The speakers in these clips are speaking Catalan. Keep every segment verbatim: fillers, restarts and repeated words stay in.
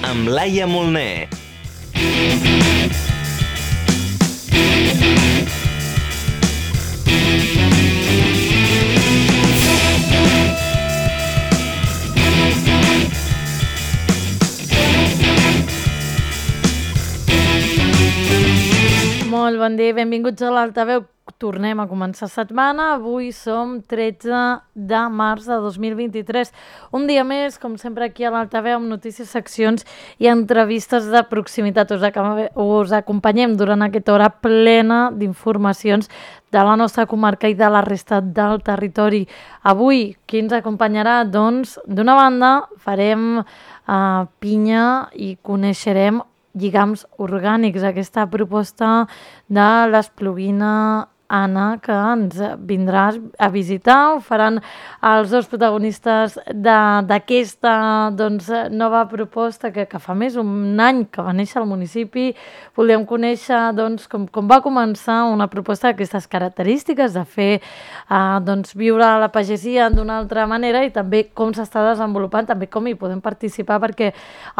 amb Laia Molner. Molt bon dia, benvinguts a l'Altaveu. Tornem a començar setmana. Avui som tretze de març de dos mil vint-i-tres. Un dia més, com sempre, aquí a l'Altaveu, amb notícies, seccions i entrevistes de proximitat. Us, us acompanyem durant aquesta hora plena d'informacions de la nostra comarca i de la resta del territori. Avui, qui ens acompanyarà? Doncs, d'una banda, farem uh, pinya i coneixerem lligams orgànics, aquesta proposta de l'Espluguina Anna, que ens vindrà a visitar. Ho faran els dos protagonistes d'aquesta doncs, nova proposta que, que fa més d'un any que va néixer al municipi. Volíem conèixer doncs, com, com va començar una proposta d'aquestes característiques, de fer eh, doncs, viure la pagesia d'una altra manera i també com s'està desenvolupant, també com hi podem participar, perquè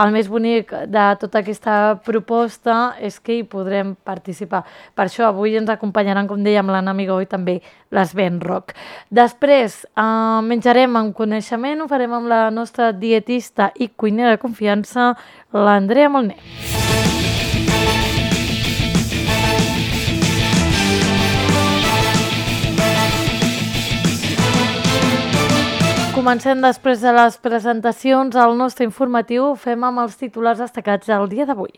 el més bonic de tota aquesta proposta és que hi podrem participar. Per això avui ens acompanyaran, com deia, amb l'Anna Amigó i també l'Sven Roc. Després eh, menjarem amb coneixement, ho farem amb la nostra dietista i cuinera de confiança, l'Andrea Molner. Comencem després de les presentacions. El nostre informatiu ho fem amb els titulars destacats del dia d'avui.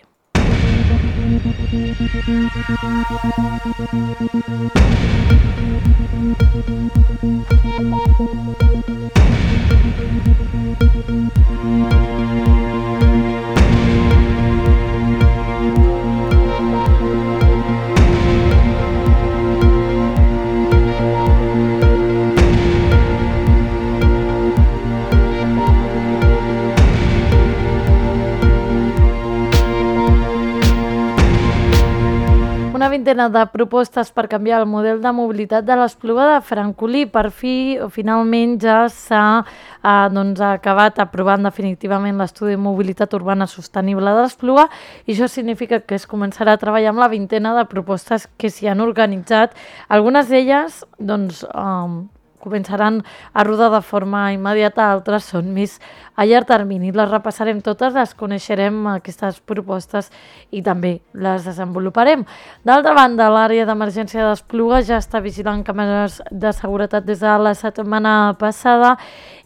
Una vintena de propostes per canviar el model de mobilitat de l'Espluga de Francolí. Per fi, finalment, ja s'ha eh, doncs, acabat aprovant definitivament l'estudi de mobilitat urbana sostenible de l'Espluga i això significa que es començarà a treballar amb la vintena de propostes que s'hi han organitzat. Algunes d'elles doncs, eh, començaran a rodar de forma immediata, altres són més a llarg termini. Les repassarem totes, les coneixerem, aquestes propostes, i també les desenvoluparem. D'altra banda, l'àrea d'emergència d'Espluga ja està vigilant càmeres de seguretat des de la setmana passada.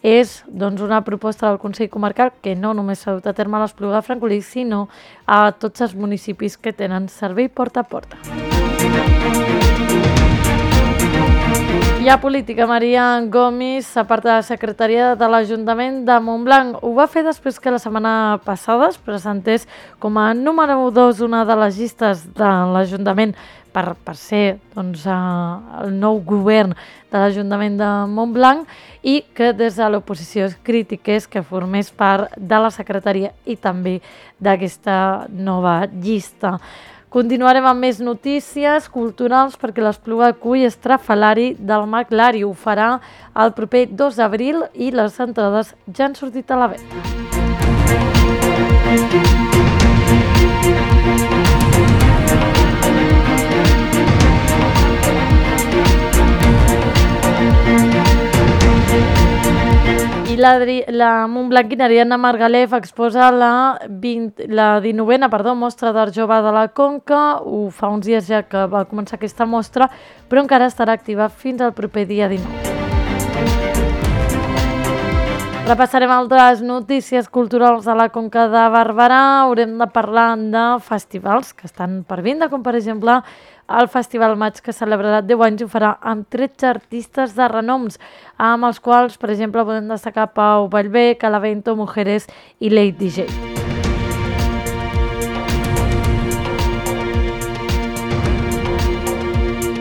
És doncs, una proposta del Consell Comarcal que no només s'ha dut a terme a l'Espluga de Francolí, sinó a tots els municipis que tenen servei porta a porta. Hi ha política. Maria Gomis s'aparta de la secretaria de l'Ajuntament de Montblanc. Ho va fer després que la setmana passada es presentés com a número dos una de les llistes de l'Ajuntament per, per ser doncs, el nou govern de l'Ajuntament de Montblanc i que des de l'oposició es critiqués que formés part de la secretaria i també d'aquesta nova llista. Continuarem amb més notícies culturals perquè l'Espluga acull Estrafalari del Mag Lari. Ho farà el proper dos d'abril i les entrades ja han sortit a la venda. I la, la montblanquina Ariadna Margalef exposa la, vint, la dinovena perdó, mostra d'art jove de la Conca. Ho fa uns dies ja que va començar aquesta mostra, però encara estarà activa fins al proper dia dinou. Repassarem altres notícies culturals de la Conca de Barberà. Haurem de parlar de festivals que estan per vindre, com per exemple el Festival Maig, que celebrarà deu anys i ho farà amb tretze artistes de renoms, amb els quals, per exemple, podem destacar Pau Vallvé, Calavento, Mujeres i Late D J.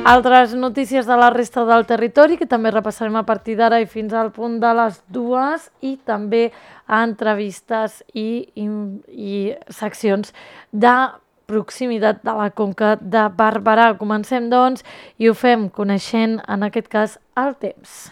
Altres notícies de la resta del territori que també repassarem a partir d'ara i fins al punt de les dues, i també entrevistes i, i, i seccions de proximitat de la Conca de Barberà. Comencem, doncs, i ho fem coneixent, en aquest cas, el temps.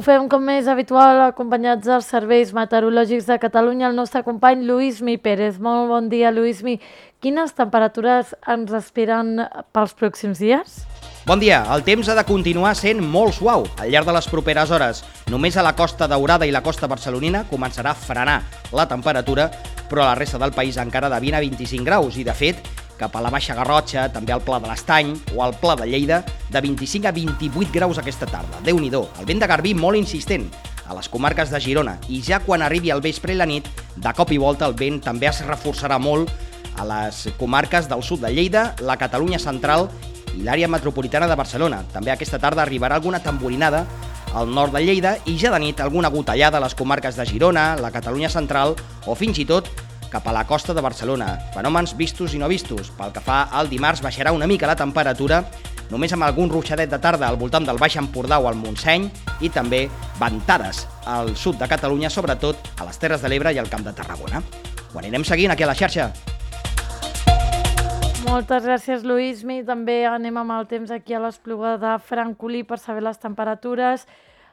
fem com és habitual acompanyats dels serveis meteorològics de Catalunya, el nostre company Lluís Mi Pérez. Molt bon dia, Lluís Mi. Quines temperatures ens esperen pels pròxims dies? Bon dia. El temps ha de continuar sent molt suau al llarg de les properes hores. Només a la Costa Daurada i la costa barcelonina començarà a frenar la temperatura, però a la resta del país encara de vint a vint-i-cinc graus i, de fet, cap a la Baixa Garrotxa, també al Pla de l'Estany o al Pla de Lleida, de vint-i-cinc a vint-i-vuit graus aquesta tarda. Déu-n'hi-do, el vent de garbí molt insistent a les comarques de Girona i ja quan arribi el vespre i la nit, de cop i volta el vent també es reforçarà molt a les comarques del sud de Lleida, la Catalunya central i l'àrea metropolitana de Barcelona. També aquesta tarda arribarà alguna tamborinada al nord de Lleida i ja de nit alguna gotellada a les comarques de Girona, la Catalunya central o fins i tot cap a la costa de Barcelona. Fenòmens vistos i no vistos. Pel que fa al dimarts baixarà una mica la temperatura, només amb algun ruixadet de tarda al voltant del Baix Empordà o al Montseny i també ventades al sud de Catalunya, sobretot a les Terres de l'Ebre i al Camp de Tarragona. Ho anirem seguint aquí a la xarxa. Moltes gràcies, Lluís Mi. També anem amb el temps aquí a l'Espluga de Francolí per saber les temperatures.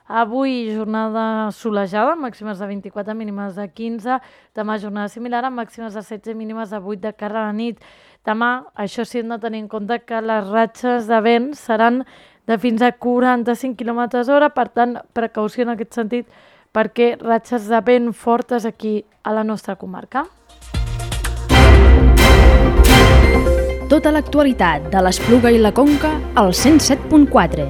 Avui jornada solejada, màximes de vint-i-quatre, mínimes de quinze. Demà jornada similar, amb màximes de setze, mínimes de vuit de cara a la nit. Demà, això sí, hem de tenir en compte que les ratxes de vent seran de fins a quaranta-cinc quilòmetres hora, per tant, precaució en aquest sentit, perquè ratxes de vent fortes aquí a la nostra comarca. Tota l'actualitat de l'Espluga i la Conca al cent set punt quatre.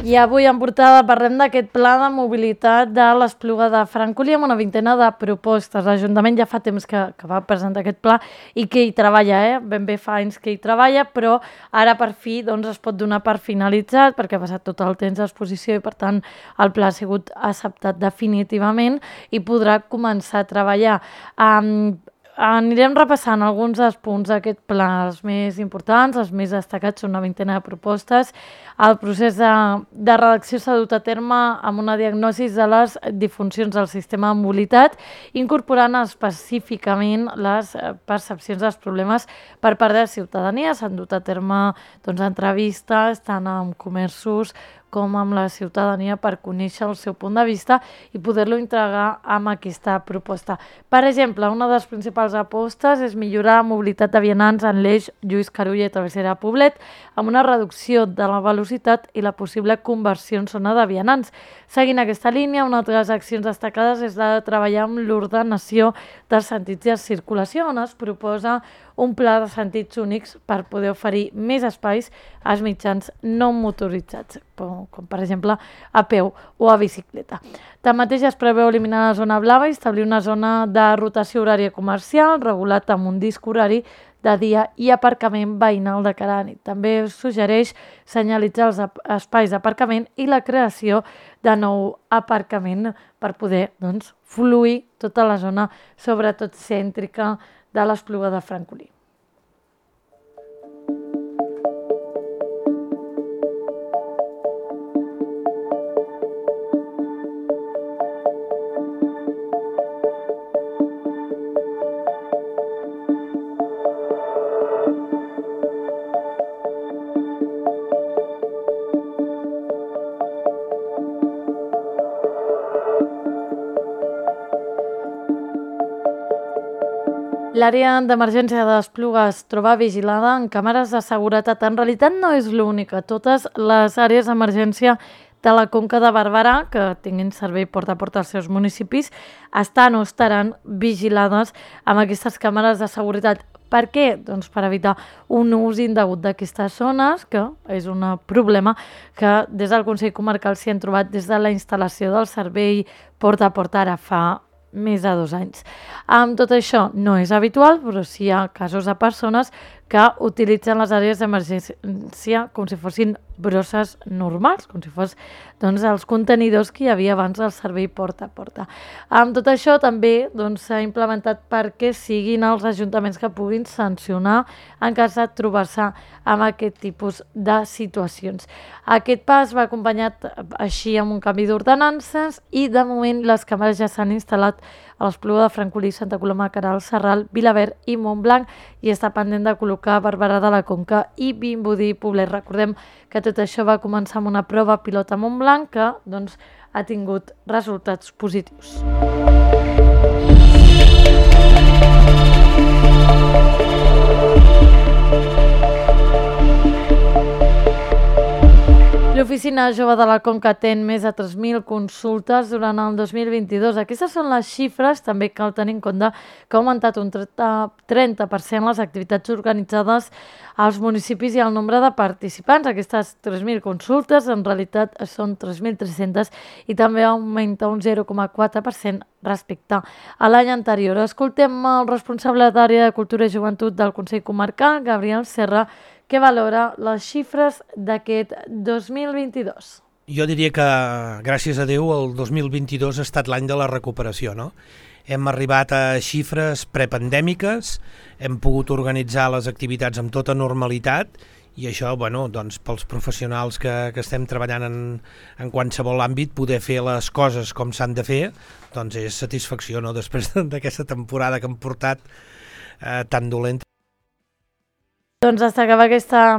I avui en portada parlem d'aquest pla de mobilitat de l'Espluga de Francolí amb una vintena de propostes. L'Ajuntament ja fa temps que, que va presentar aquest pla i que hi treballa, eh? ben bé fa anys que hi treballa, però ara per fi doncs, es pot donar per finalitzat perquè ha passat tot el temps d'exposició i per tant el pla ha sigut acceptat definitivament i podrà començar a treballar. Um, Anirem repassant alguns dels punts d'aquest pla, els més importants, els més destacats, són una vintena de propostes. El procés de, de redacció s'ha dut a terme amb una diagnosi de les disfuncions del sistema de mobilitat, incorporant específicament les percepcions dels problemes per part de la ciutadania. S'han dut a terme doncs, entrevistes tant amb comerços com amb la ciutadania per conèixer el seu punt de vista i poder-lo integrar amb aquesta proposta. Per exemple, una de les principals apostes és millorar la mobilitat de vianants en l'eix Lluís Carulla i Travessera Poblet amb una reducció de la velocitat i la possible conversió en zona de vianants. Seguint aquesta línia, una altra de les accions destacades és la de treballar amb l'ordenació dels sentits de circulació, on es proposa un pla de sentits únics per poder oferir més espais als mitjans no motoritzats, com per exemple a peu o a bicicleta. Tanmateix es preveu eliminar la zona blava i establir una zona de rotació horària comercial regulat amb un disc horari de dia i aparcament veïnal de cara a nit. També suggereix senyalitzar els espais d'aparcament i la creació de nou aparcament per poder doncs, fluir tota la zona, sobretot cèntrica, de l'Espluga de Francolí. L'àrea d'emergència de l'Espluga es troba vigilada en càmeres de seguretat. En realitat no és l'única. Totes les àrees d'emergència de la Conca de Barberà, que tinguin servei porta a porta als seus municipis, estan o estaran vigilades amb aquestes càmeres de seguretat. Per què? Doncs per evitar un ús indegut d'aquestes zones, que és un problema que des del Consell Comarcal s'hi han trobat des de la instal·lació del servei porta a porta ara fa més de dos anys. Amb tot això no és habitual, però sí hi ha casos de persones que utilitzen les àrees d'emergència com si fossin brosses normals, com si fos doncs, els contenidors que hi havia abans del servei porta a porta. Amb tot això també doncs, s'ha implementat perquè siguin els ajuntaments que puguin sancionar en cas de trobar-se amb aquest tipus de situacions. Aquest pas va acompanyat així amb un canvi d'ordenances i de moment les càmeres ja s'han instal·lat a l'Espluga de Francolí, Santa Coloma, Queralt, Sarral, Vilaverd i Montblanc i està pendent de col·locar a Barberà de la Conca i Vimbodí i Poblet. Recordem que tot això va començar amb una prova pilot a Montblanc que doncs, ha tingut resultats positius. L'Oficina Jove de la Conca atén més de tres mil consultes durant el dos mil vint-i-dos. Aquestes són les xifres, també cal tenir en compte que ha augmentat un trenta per cent les activitats organitzades als municipis i el nombre de participants. Aquestes tres mil consultes en realitat són tres mil tres-centes i també augmenta un zero coma quatre per cent respecte a l'any anterior. Escoltem el responsable d'Àrea de Cultura i Joventut del Consell Comarcal, Gabriel Serra, que valora les xifres d'aquest dos mil vint-i-dos. Jo diria que, gràcies a Déu, el dos mil vint-i-dos ha estat l'any de la recuperació, no? Hem arribat a xifres prepandèmiques, hem pogut organitzar les activitats amb tota normalitat i això, bueno, doncs, pels professionals que, que estem treballant en, en qualsevol àmbit, poder fer les coses com s'han de fer, doncs és satisfacció, no?, després d'aquesta temporada que hem portat eh, tan dolenta. Doncs hasta acaba aquesta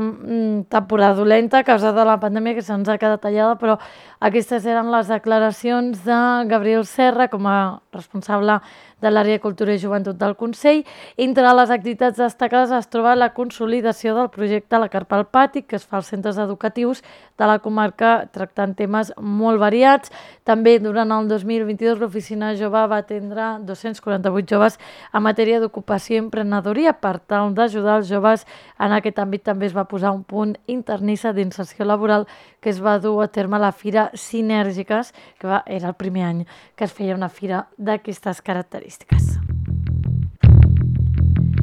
temporada dolenta a causa de la pandèmia que se'ns ha quedat tallada, però aquestes eren les declaracions de Gabriel Serra com a responsable de l'Àrea de Cultura i Joventut del Consell. Entre les activitats destacades es troba la consolidació del projecte La Carpa al Pati, que es fa als centres educatius de la comarca tractant temes molt variats. També durant el dos mil vint-i-dos l'Oficina Jove va atendre dos-cents quaranta-vuit joves en matèria d'ocupació i emprenedoria. Per tal d'ajudar els joves en aquest àmbit també es va posar un punt internissa d'inserció laboral que es va dur a terme a la Fira Sinèrgiques, que va, era el primer any que es feia una fira d'aquestes característiques.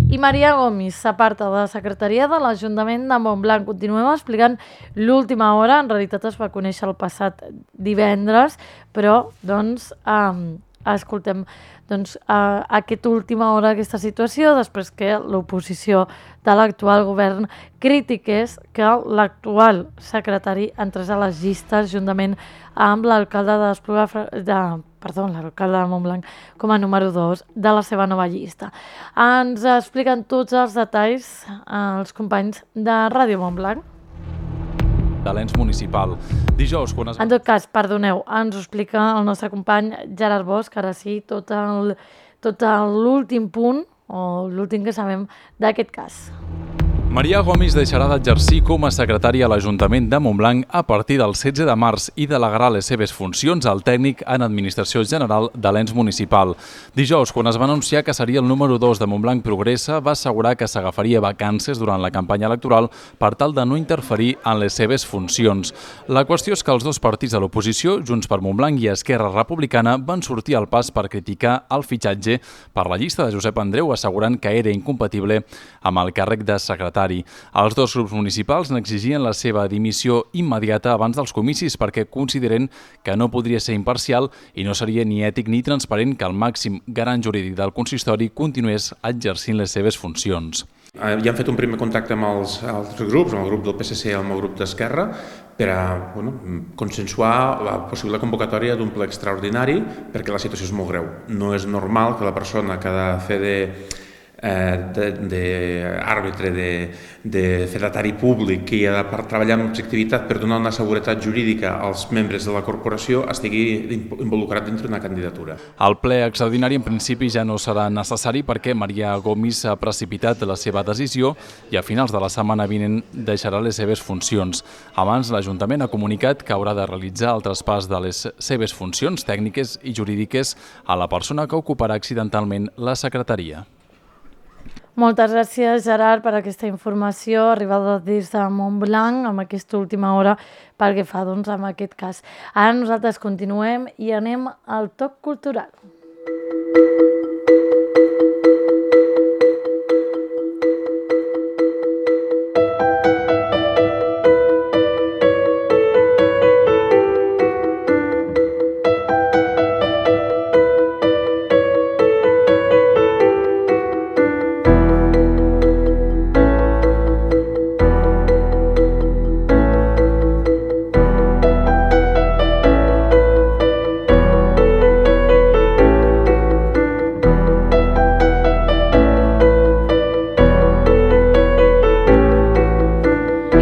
I Maria Gomis s'aparta de la secretaria de l'Ajuntament de Montblanc. Continuem explicant l'última hora, en realitat es va conèixer el passat divendres, però doncs eh, escoltem doncs, a aquesta última hora aquesta situació, després que l'oposició de l'actual govern critiqués que l'actual secretari entrés a les llistes juntament amb l'alcalde de l'Espluga de perdó, l'alcalde de Montblanc com a número dos de la seva nova llista. Ens expliquen tots els detalls els companys de Ràdio Montblanc. De l'ens municipal. Dijous, quan es... En tot cas, perdoneu, ens ho explica el nostre company Gerard Bosch, ara sí, tot el, tot l'últim punt, o l'últim que sabem d'aquest cas. Maria Gomis deixarà d'exercir com a secretària a l'Ajuntament de Montblanc a partir del setze de març i delegarà les seves funcions al tècnic en Administració General de l'ens municipal. Dijous, quan es va anunciar que seria el número dos de Montblanc Progressa, va assegurar que s'agafaria vacances durant la campanya electoral per tal de no interferir en les seves funcions. La qüestió és que els dos partits de l'oposició, Junts per Montblanc i Esquerra Republicana, van sortir al pas per criticar el fitxatge per la llista de Josep Andreu, assegurant que era incompatible amb el càrrec de secretari. Els dos grups municipals n'exigien la seva dimissió immediata abans dels comicis perquè consideren que no podria ser imparcial i no seria ni ètic ni transparent que el màxim garant jurídic del consistori continués exercint les seves funcions. Ja hem fet un primer contacte amb els altres grups, amb el grup del P S C i amb el grup d'Esquerra, per a bueno, consensuar la possible convocatòria d'un ple extraordinari perquè la situació és molt greu. No és normal que la persona que ha de fer de d'àrbitre, de, de fedatari públic que ha de treballar amb objectivitat per donar una seguretat jurídica als membres de la corporació estigui involucrat dintre d'una candidatura. El ple extraordinari en principi ja no serà necessari perquè Maria Gomis ha precipitat la seva decisió i a finals de la setmana vinent deixarà les seves funcions. Abans l'Ajuntament ha comunicat que haurà de realitzar el traspàs de les seves funcions tècniques i jurídiques a la persona que ocuparà accidentalment la secretaria. Moltes gràcies, Gerard, per aquesta informació arribada des de Montblanc amb aquesta última hora pel que fa doncs, amb aquest cas. Ara nosaltres continuem i anem al toc cultural.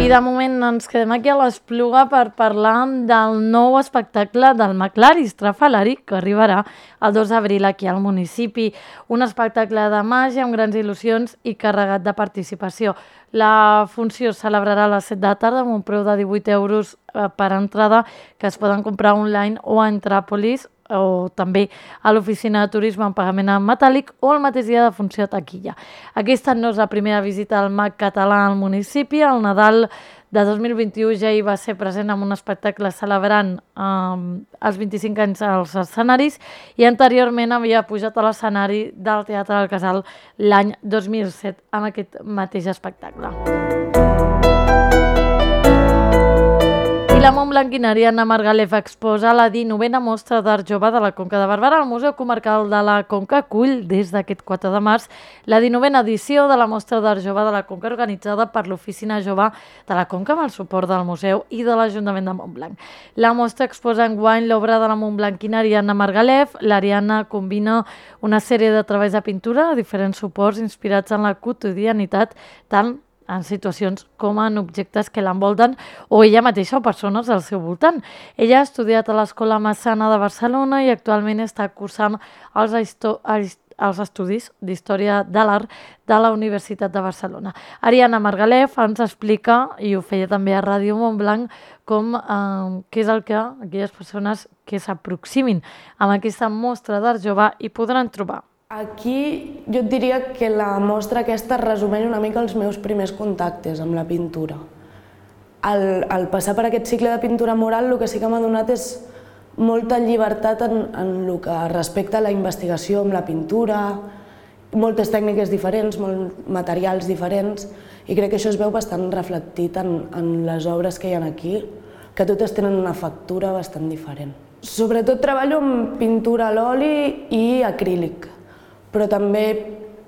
I de moment ens quedem aquí a l'Espluga per parlar del nou espectacle del McLari Estrafalari que arribarà el dos d'abril aquí al municipi. Un espectacle de màgia amb grans il·lusions i carregat de participació. La funció es celebrarà a les set de la tarda amb un preu de divuit euros per entrada que es poden comprar online o a Entràpolis o també a l'oficina de turisme en pagament en metàl·lic o el mateix dia de funció a taquilla. Aquesta no és la primera visita al Mac català al municipi. El Nadal de dos mil vint-i-u ja hi va ser present amb un espectacle celebrant eh, els vint-i-cinc anys als escenaris i anteriorment havia pujat a l'escenari del Teatre del Casal l'any dos mil set amb aquest mateix espectacle. I la Montblanquinària Anna Margalef exposa la dinovena mostra d'art jove de la Conca de Barberà. El Museu Comarcal de la Conca acull des d'aquest quatre de març la dinovena edició de la mostra d'art jove de la Conca organitzada per l'Oficina Jove de la Conca amb el suport del Museu i de l'Ajuntament de Montblanc. La mostra exposa enguany l'obra de la Montblanquinària Anna Margalef. L'Ariana combina una sèrie de treballs de pintura a diferents suports inspirats en la quotidianitat, tant en situacions com en objectes que l'envolten o ella mateixa o persones al seu voltant. Ella ha estudiat a l'Escola Massana de Barcelona i actualment està cursant els, els estudis d'Història de l'Art de la Universitat de Barcelona. Ariana Margalef ens explica, i ho feia també a Ràdio Montblanc, com eh, què és el que aquelles persones que s'aproximin amb aquesta mostra d'art jove hi podran trobar. Aquí jo et diria que la mostra aquesta resumeix una mica els meus primers contactes amb la pintura. Al, al passar per aquest cicle de pintura mural el que sí que m'ha donat és molta llibertat en, en el que respecta a la investigació amb la pintura, moltes tècniques diferents, molts materials diferents i crec que això es veu bastant reflectit en, en les obres que hi ha aquí, que totes tenen una factura bastant diferent. Sobretot treballo amb pintura a l'oli i acrílic, però també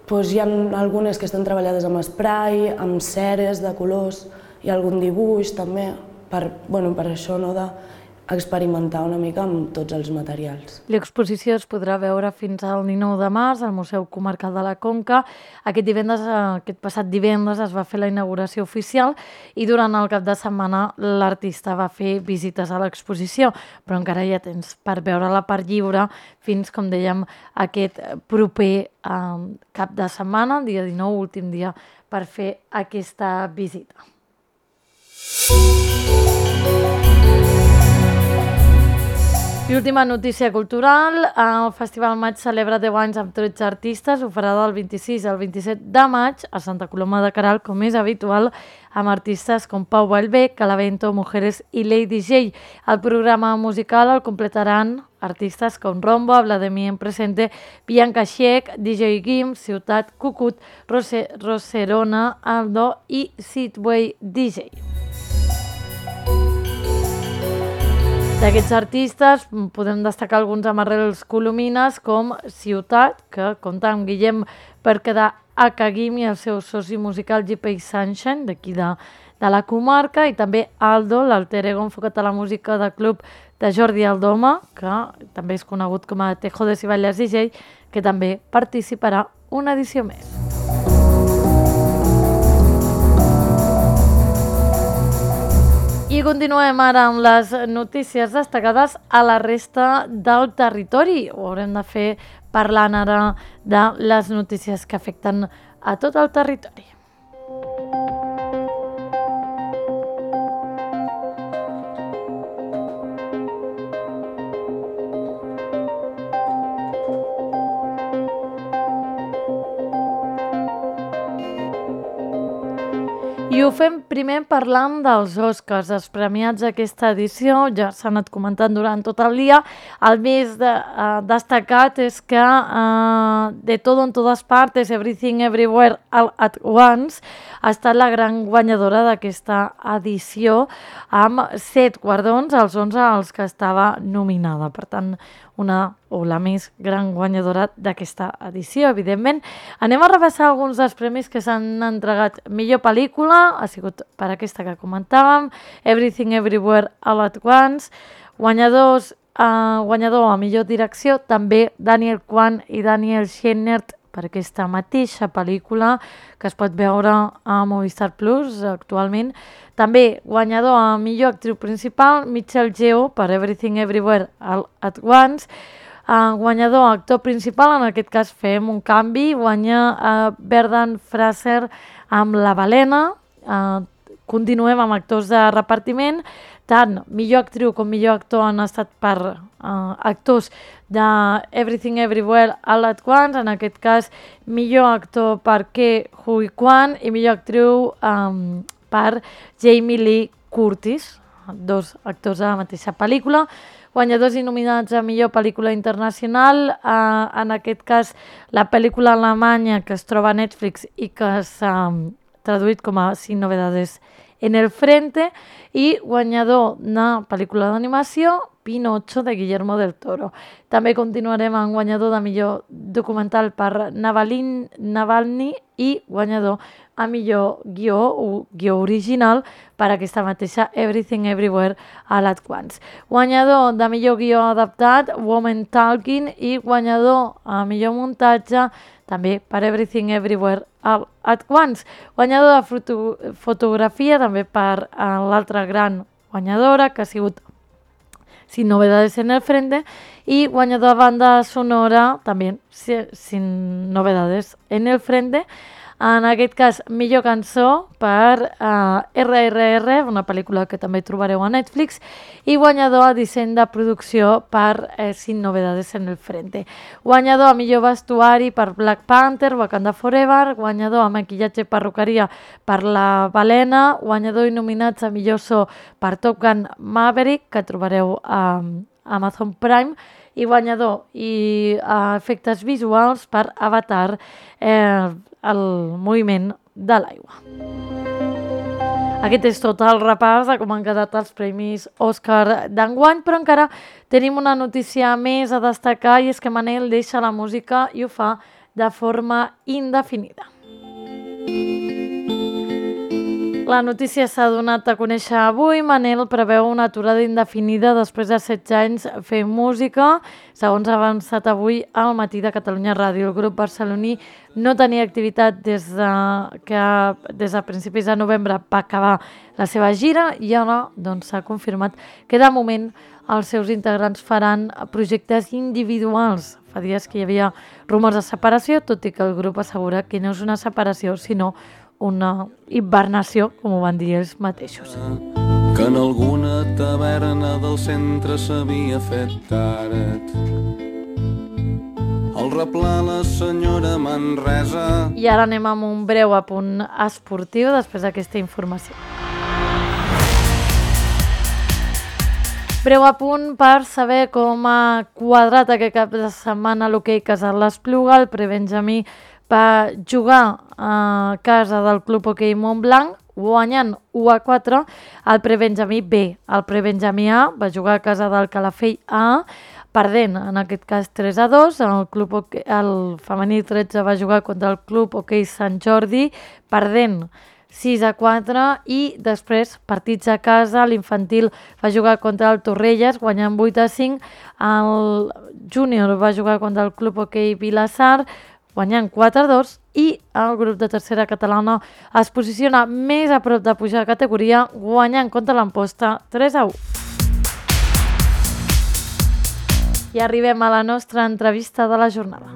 doncs, hi ha algunes que estan treballades amb spray, amb ceres de colors i algun dibuix també, per, bueno, per això no, d'experimentar una mica amb tots els materials. L'exposició es podrà veure fins al dinou de març al Museu Comarcal de la Conca. Aquest, divendres, aquest passat divendres es va fer la inauguració oficial i durant el cap de setmana l'artista va fer visites a l'exposició, però encara hi ha temps per veure-la per lliure fins, com dèiem, aquest proper eh, cap de setmana, dia dinou, últim dia, per fer aquesta visita. I última notícia cultural, el Festival Maig celebra deu anys amb tretze artistes, ho farà del vint-i-sis al vint-i-set de maig a Santa Coloma de Queralt, com és habitual, amb artistes com Pau Vallvé, Calavento, Mujeres i Lady J. El programa musical el completaran artistes com Rombo, Vladimir en Presente, Bianca Xiec, D J Guim, Ciutat Cucut, Rose, Roserona, Aldo i Sidway D J. D'aquests artistes podem destacar alguns amb arrels colomines com Ciutat, que compta amb Guillem per quedar a Caguim i el seu soci musical G P Sunshine, d'aquí de, de la comarca, i també Aldo, l'alter ego enfocat a la música de club de Jordi Aldoma, que també és conegut com a Tejo de Ciballes D J, que també participarà una edició més. I continuem ara amb les notícies destacades a la resta del territori. Ho haurem de fer parlant ara de les notícies que afecten a tot el territori. I ho fem primer parlant dels Oscars, els premiats d'aquesta edició, ja s'han anat comentant durant tot el dia. El més de, uh, destacat és que uh, De Todo en Todas Partes, Everything Everywhere All at Once, ha estat la gran guanyadora d'aquesta edició, amb set guardons, els onze als que estava nominada. Per tant, una o la més gran guanyadora d'aquesta edició, evidentment. Anem a repassar alguns dels premis que s'han entregat. Millor pel·lícula ha sigut per aquesta que comentàvem, Everything Everywhere All at Once. Guanyadors, eh, guanyador a millor direcció, també Daniel Kwan i Daniel Scheinert per aquesta mateixa pel·lícula que es pot veure a Movistar Plus actualment. També guanyador a millor actriu principal, Michelle Yeoh per Everything Everywhere All at Once. Uh, guanyador actor principal, en aquest cas fem un canvi, guanya uh, Brendan Fraser amb La Balena. Uh, continuem amb actors de repartiment. Tant millor actriu com millor actor han estat per uh, actors de Everything Everywhere All at Once, en aquest cas millor actor per Ke Huy Quan i millor actriu um, per Jamie Lee Curtis, dos actors de la mateixa pel·lícula. Guanyadors i nominats a millor pel·lícula internacional, eh, en aquest cas la pel·lícula alemanya que es troba a Netflix i que s'ha um, traduït com a Sin novedades en el frente, i guanyador de pel·lícula d'animació, Pinocho, de Guillermo del Toro. També continuarem amb guanyador de millor documental per Navalin, Navalny i guanyador a millor guió o guió original per aquesta mateixa Everything Everywhere All at Once. Guanyador de millor guió adaptat, Woman Talking, i guanyador a millor muntatge també per Everything Everywhere All at Once. Guanyador de foto fotografia també per l'altra gran guanyadora, que ha sigut Sin novedades en el frente, i guanyador de banda sonora també Sin novedades en el frente. En aquest cas, millor cançó per uh, erre erre erre, una pel·lícula que també trobareu a Netflix, i guanyador a disseny de producció per eh, Sin novedades en el frente. Guanyador a millor vestuari per Black Panther, Wakanda Forever, guanyador a maquillatge i perruqueria per La Balena, guanyador i nominats a millor so per Top Gun Maverick, que trobareu a Amazon Prime, i guanyador i uh, efectes visuals per Avatar, eh, el moviment de l'aigua. Aquest és tot el repàs de com han quedat els premis Òscar d'enguany, però encara tenim una notícia més a destacar, i és que Manel deixa la música i ho fa de forma indefinida. La notícia s'ha donat a conèixer avui. Manel preveu una aturada indefinida després de setze anys fent música. Segons ha avançat avui al matí de Catalunya Ràdio, el grup barceloní no tenia activitat des de, que des de principis de novembre va acabar la seva gira, i ara doncs, s'ha confirmat que de moment els seus integrants faran projectes individuals. Fa dies que hi havia rumors de separació, tot i que el grup assegura que no és una separació, sinó una hibernació, com ho van dir ells mateixos. Que en alguna taverna del centre s'havia fet tard. El replà la senyora Manresa. I ara anem amb un breu apunt esportiu després d'aquesta informació. Breu apunt per saber com ha quadrat aquest cap de setmana l'hoquei Casal l'Espluga. El prebenjamí va jugar a casa del Club Hoquei Montblanc, guanyant u a quatre. El prebenjamí B, el prebenjamí A, va jugar a casa del Calafell A, perdent, en aquest cas tres a dos. El, club hoquei, el femení tretze va jugar contra el Club Hoquei Sant Jordi, perdent sis a quatre, i després partits a casa. L'infantil va jugar contra el Torrelles, guanyant vuit a cinc. El júnior va jugar contra el Club Hoquei Vilassar, guanyant quatre a dos, i el grup de tercera catalana es posiciona més a prop de pujar de categoria, guanyant contra l'Amposta tres a u. I arribem a la nostra entrevista de la jornada.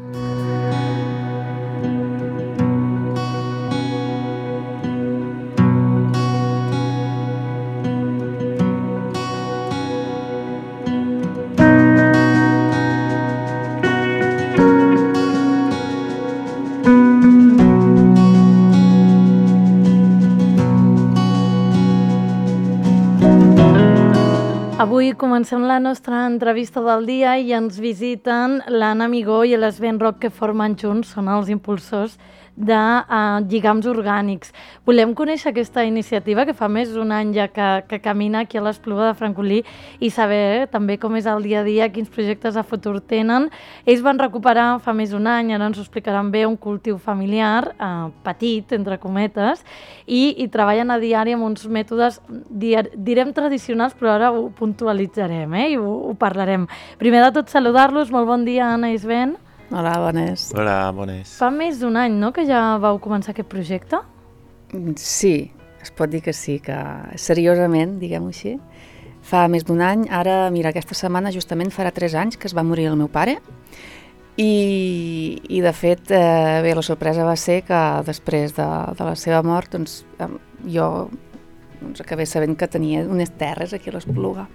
Avui comencem la nostra entrevista del dia i ens visiten l'Anna Amigó i l'Sven Roc, que formen junts, són els impulsors de uh, lligams orgànics. Volem conèixer aquesta iniciativa que fa més d'un any ja que, que camina aquí a l'Espluga de Francolí, i saber eh, també com és el dia a dia, quins projectes a futur tenen. Ells van recuperar fa més d'un any, ara ens ho explicaran bé, un cultiu familiar, eh, petit, entre cometes, i, i treballen a diari amb uns mètodes, direm tradicionals, però ara ho puntualitzarem eh, i ho, ho parlarem. Primer de tot, saludar-los. Molt bon dia, Anna i Sven. Hola, bones. Hola, bones. Fa més d'un any, no?, que ja vau començar aquest projecte? Sí, es pot dir que sí, que seriosament, diguem-ho així. Fa més d'un any, ara, mira, aquesta setmana justament farà tres anys que es va morir el meu pare i, i de fet, eh, bé, la sorpresa va ser que després de, de la seva mort, doncs, jo doncs, acabé sabent que tenia unes terres aquí a l'Espluga.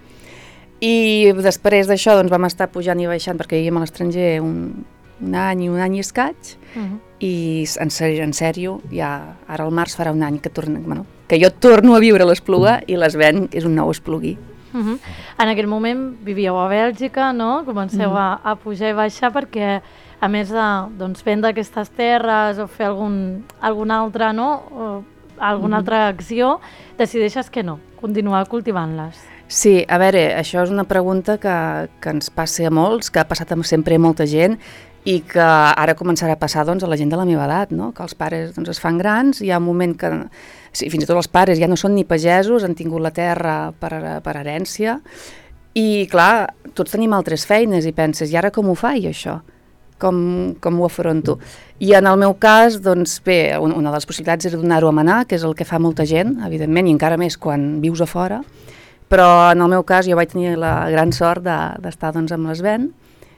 I després d'això doncs, vam estar pujant i baixant perquè vivíem a l'estranger un, un any i un any i escaig, uh-huh. i en sèrio, en sèrio ja, ara al març farà un any que, torna, bueno, que jo torno a viure a l'Espluga i les venc, és un nou esplugui. Uh-huh. En aquell moment vivíeu a Bèlgica, no? Comenceu uh-huh. a, a pujar i baixar perquè, a més de doncs, vendre aquestes terres o fer algun, alguna altra, no? o alguna uh-huh. altra acció, decideixes que no, continuar cultivant-les. Sí, a veure, això és una pregunta que, que ens passa a molts, que ha passat sempre a molta gent i que ara començarà a passar doncs, a la gent de la meva edat, no? Que els pares doncs, es fan grans, hi ha un moment que sí, fins i tot els pares ja no són ni pagesos, han tingut la terra per, per herència i clar, tots tenim altres feines i penses, i ara com ho faig això? Com, com ho afronto? I en el meu cas, doncs bé, una de les possibilitats era donar-ho a manar, que és el que fa molta gent, evidentment, i encara més quan vius a fora. Però en el meu cas jo vaig tenir la gran sort d'estar de, doncs, amb l'Sven,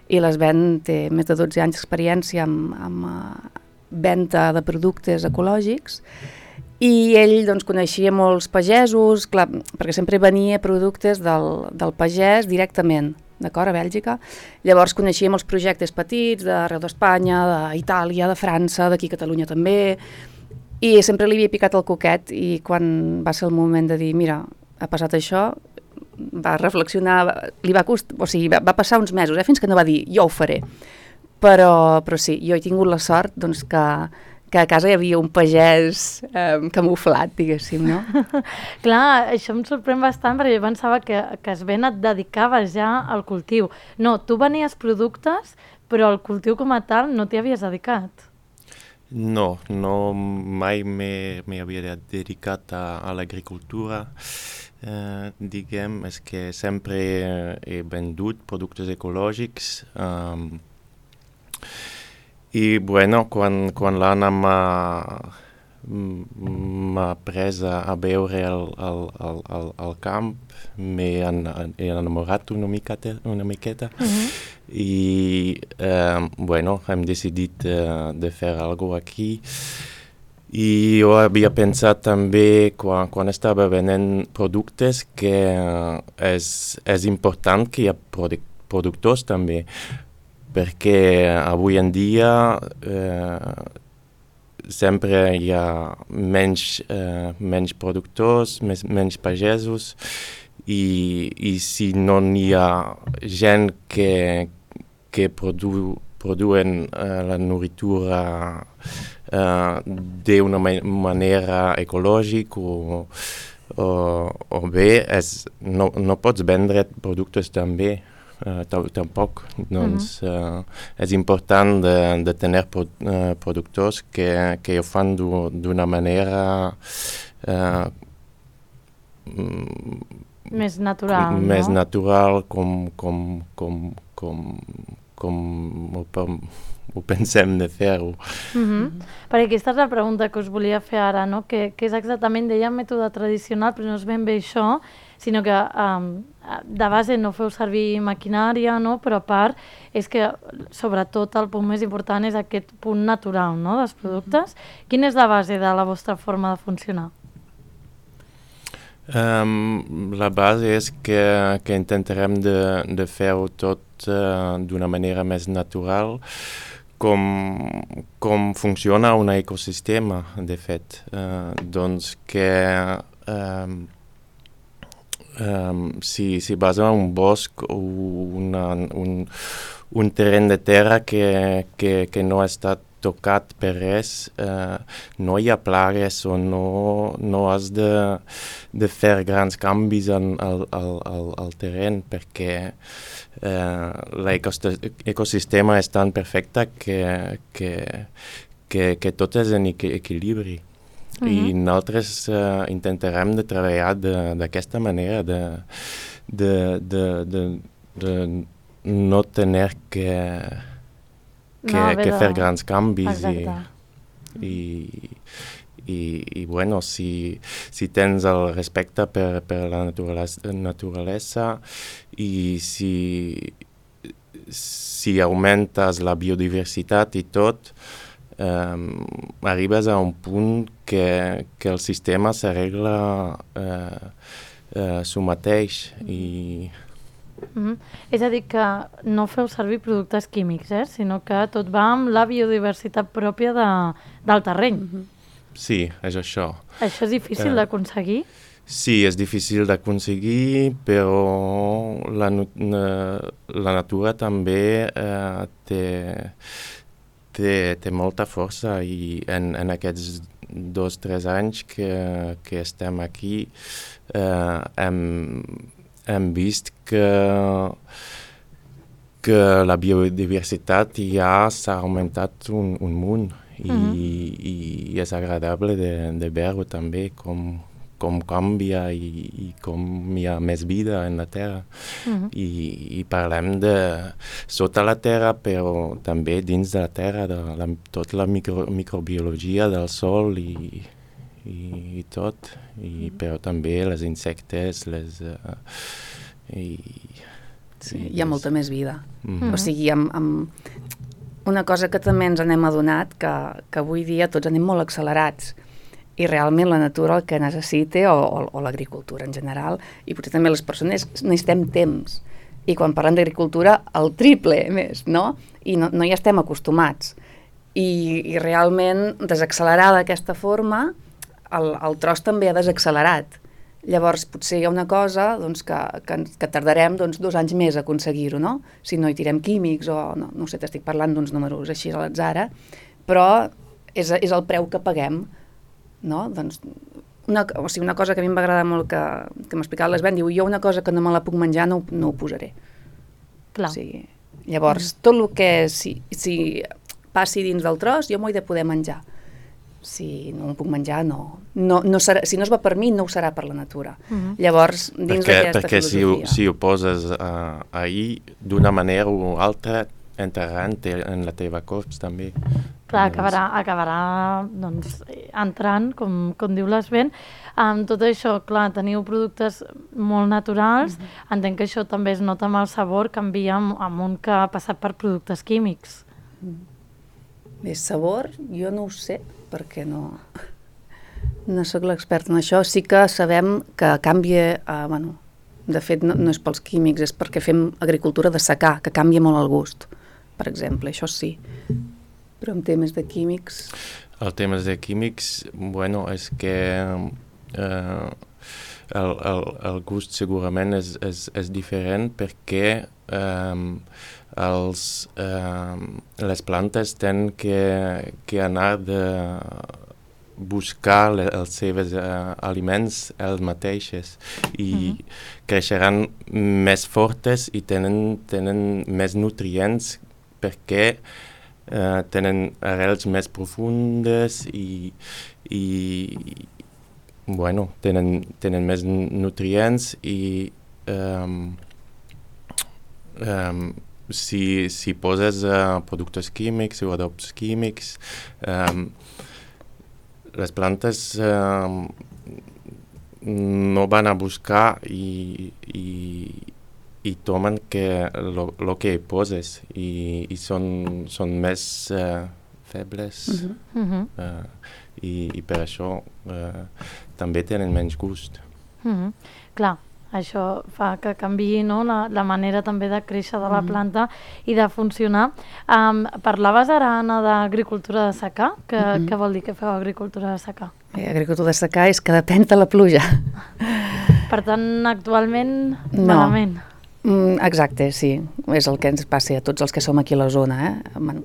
i l'Sven té més de dotze anys d'experiència amb, amb uh, venda de productes ecològics, i ell doncs, coneixia molts pagesos, clar, perquè sempre venia productes del, del pagès directament, d'acord, a Bèlgica. Llavors coneixia molts projectes petits d'arreu d'Espanya, d'Itàlia, de França, d'aquí a Catalunya també, i sempre li havia picat el coquet, i quan va ser el moment de dir, mira, ha passat això, va reflexionar, li va cost... o sigui, va, va passar uns mesos, eh, fins que no va dir, jo ho faré. Però, però sí, jo he tingut la sort doncs, que, que a casa hi havia un pagès eh, camuflat, diguéssim, no? Clar, això em sorprèn bastant perquè jo pensava que, que Sven et dedicaves ja al cultiu. No, tu venies productes, però al cultiu com a tal no t'hi havies dedicat. No, no mai m'hi havia dedicat a, a l'agricultura. Eh, diguem, és que sempre he vendut productes ecològics um, i bueno, quan, quan l'Anna m'ha pres a, a veure el, el, el, el, el camp, m'he enamorat una miqueta, una miqueta uh-huh. i eh, bueno, hem decidit eh, de fer alguna cosa aquí. I jo havia pensat també, quan, quan estava venent productes, que és, és important que hi ha produc productors també, perquè avui en dia eh, sempre hi ha menys, eh, menys productors, més, menys pagesos, i, i si no hi ha gent que, que produ, produen eh, la nourritura Uh, d'una manera ecològica o, o, o bé, és, no, no pots vendre productes també, uh, tampoc. Doncs uh-huh. uh, és important de, de tenir pro, uh, productors que, que ho fan d'una manera uh, més natural, com, no? Més natural com, com, com, com, com, com ho pensem de fer-ho. Uh-huh. Perquè aquesta és la pregunta que us volia fer ara, no? Que, que és exactament, deia mètode tradicional, però no és ben bé això, sinó que um, de base no feu servir maquinària, no? Però a part és que sobretot el punt més important és aquest punt natural, no? Dels productes. Uh-huh. Quina és la base de la vostra forma de funcionar? Um, la base és que, que intentarem de, de fer-ho tot uh, d'una manera més natural, Com, com funciona un ecosistema, de fet. Uh, doncs que um, um, si, si vas a un bosc o una, un, un terreny de terra que, que, que no ha estat tocat per res, uh, no hi ha plagues o no, no has de, de fer grans canvis en, al, al, al, al terreny perquè uh, l'ecosistema és tan perfecte que, que, que, que tot és en equilibri. Uh-huh. I nosaltres uh, intentarem de treballar d'aquesta manera, de, de, de, de, de no tenir que que, No, que de- fer grans canvis. Exacte. I, i, i, i bueno, si, si tens el respecte per, per la naturalesa, naturalesa i si, si augmentes la biodiversitat i tot, eh, arribes a un punt que, que el sistema s'arregla eh, eh, su mateix i... Mm-hmm. És a dir, que no feu servir productes químics, eh? Sinó que tot va amb la biodiversitat pròpia de, del terreny. Mm-hmm. Sí, és això. Això és difícil Eh, d'aconseguir? Sí, és difícil d'aconseguir, però la, nu- na- la natura també eh, té, té, té molta força i en, en aquests dos o tres anys que, que estem aquí eh, hem, hem vist que, que la biodiversitat ja s'ha augmentat un, un munt i, Mhm. i, i és agradable de, de veure també com, com canvia i, i com hi ha més vida en la Terra. Mhm. I, i parlem de sota la Terra, però també dins de la Terra, de la, tota la micro, microbiologia del sol i, i, i tot, i, però també les insectes, les... Uh, i, Sí, i hi ha les- molta més vida. Mhm. O sigui, amb, amb una cosa que també ens n'hem adonat, que, que avui dia tots anem molt accelerats i realment la natura el que necessita, o, o, o l'agricultura en general, i potser també les persones, necessitem temps. I quan parlem d'agricultura, el triple més, no? I no, no hi estem acostumats. I, i realment, desaccelerar d'aquesta forma, el, el tros també ha desaccelerat. Llavors, potser hi ha una cosa doncs, que, que, que tardarem doncs, dos anys més a aconseguir-ho, no? Si no hi tirem químics o, no, no sé, t'estic parlant d'uns números així a l'atzar, però és, és el preu que paguem, no? Doncs, una, o sigui, una cosa que a mi em va agradar molt que, que m'explicava l'Esben, diu, jo una cosa que no me la puc menjar no, no ho posaré. Clar. O sigui, llavors, tot el que si, si passi dins del tros, jo m'ho he de poder menjar. Si no em puc menjar, no. no, no serà, si no es va per mi, no ho serà per la natura. Mhm. Llavors, dins perquè, d'aquesta perquè si ho, filosofia... si ho poses uh, ahir, d'una manera o altra, entrarà en, te, en la teva corps també. Clar, acabarà, acabarà doncs, entrant, com, com diu l'Esben. Amb tot això, clar, teniu productes molt naturals. Mm-hmm. Entenc que això també es nota amb el sabor, canvia amb, amb un que ha passat per productes químics. Bé, sabor, jo no ho sé, perquè no, no sóc l'expert en això. Sí que sabem que canvia, eh, bueno, de fet no, no és pels químics, és perquè fem agricultura de secà, que canvia molt el gust, per exemple, això sí. Però en temes de químics... El temes de químics, bueno, és que eh, el, el, el gust segurament és, és, és diferent perquè eh, els, eh, les plantes tenen que, que anar de buscar le, els seus eh, aliments els mateixos i mm-hmm. creixeran més fortes i tenen, tenen més nutrients perquè Uh, tenen arrels més profundes i, i bueno, tenen, tenen més nutrients i um, um, si, si poses uh, productes químics o adobs químics, um, les plantes um, no van a buscar i, i i tomen que lo, lo que hi poses i, i són, són més uh, febles uh-huh. uh, i, i per això uh, també tenen menys gust. Uh-huh. Clar, això fa que canviï, no? la, la manera també de créixer de la Mhm. planta i de funcionar. Um, parlaves ara, Anna, d'agricultura de secà. Que, Mhm. Què vol dir que feu agricultura de secà? Bé, agricultura de secà és que depèn de la pluja. Per tant, actualment, No. malament. Mm, exacte, sí. És el que ens passa a tots els que som aquí a la zona. Eh? Man,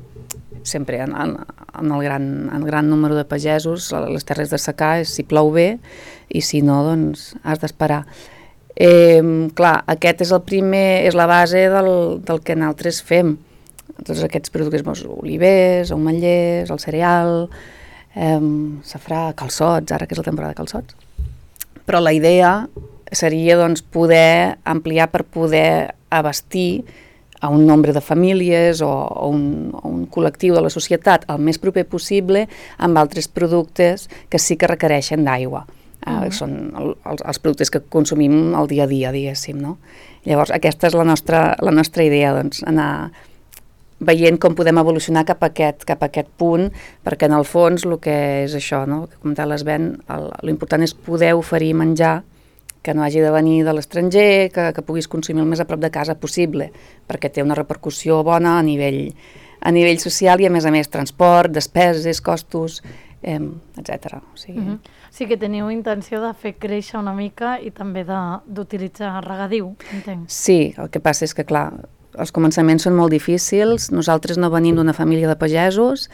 sempre en, en, en, el gran, en el gran número de pagesos, les terres de secà és si plou bé i si no, doncs has d'esperar. Eh, clar, aquest és el primer, és la base del, del que nosaltres fem. Tots aquests productes, doncs, olivers, ametllers, el cereal, eh, safrà, calçots, ara que és la temporada de calçots. Però la idea seria doncs, poder ampliar per poder abastir a un nombre de famílies o, o, un, o un col·lectiu de la societat el més proper possible amb altres productes que sí que requereixen d'aigua. Uh, uh-huh. Són el, els, els productes que consumim al dia a dia, diguéssim, no? Llavors, aquesta és la nostra, la nostra idea, doncs, anar veient com podem evolucionar cap a aquest, cap a aquest punt, perquè en el fons el que és això, no? Que com l'Esben, l'important és poder oferir menjar que no hagi de venir de l'estranger, que, que puguis consumir el més a prop de casa possible, perquè té una repercussió bona a nivell, a nivell social i, a més a més, transport, despeses, costos, eh, etcètera. O sigui... Uh-huh. Sí que teniu intenció de fer créixer una mica i també d'utilitzar regadiu, entenc. Sí, el que passa és que, clar, els començaments són molt difícils, nosaltres no venim d'una família de pagesos,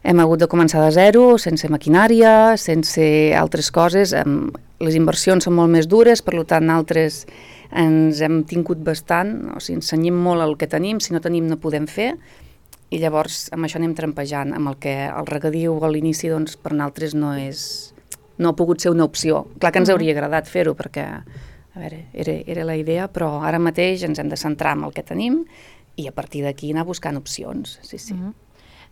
hem hagut de començar de zero, sense maquinària, sense altres coses, les inversions són molt més dures, per tant, nosaltres ens hem tingut bastant, o sigui, ens cenyim molt el que tenim, si no tenim no podem fer, i llavors amb això anem trampejant, amb el que el regadiu a l'inici, doncs, per nosaltres no és, no ha pogut ser una opció. Clar que ens hauria agradat fer-ho, perquè, a veure, era, era la idea, però ara mateix ens hem de centrar en el que tenim i a partir d'aquí anar buscant opcions, sí, sí. Uh-huh.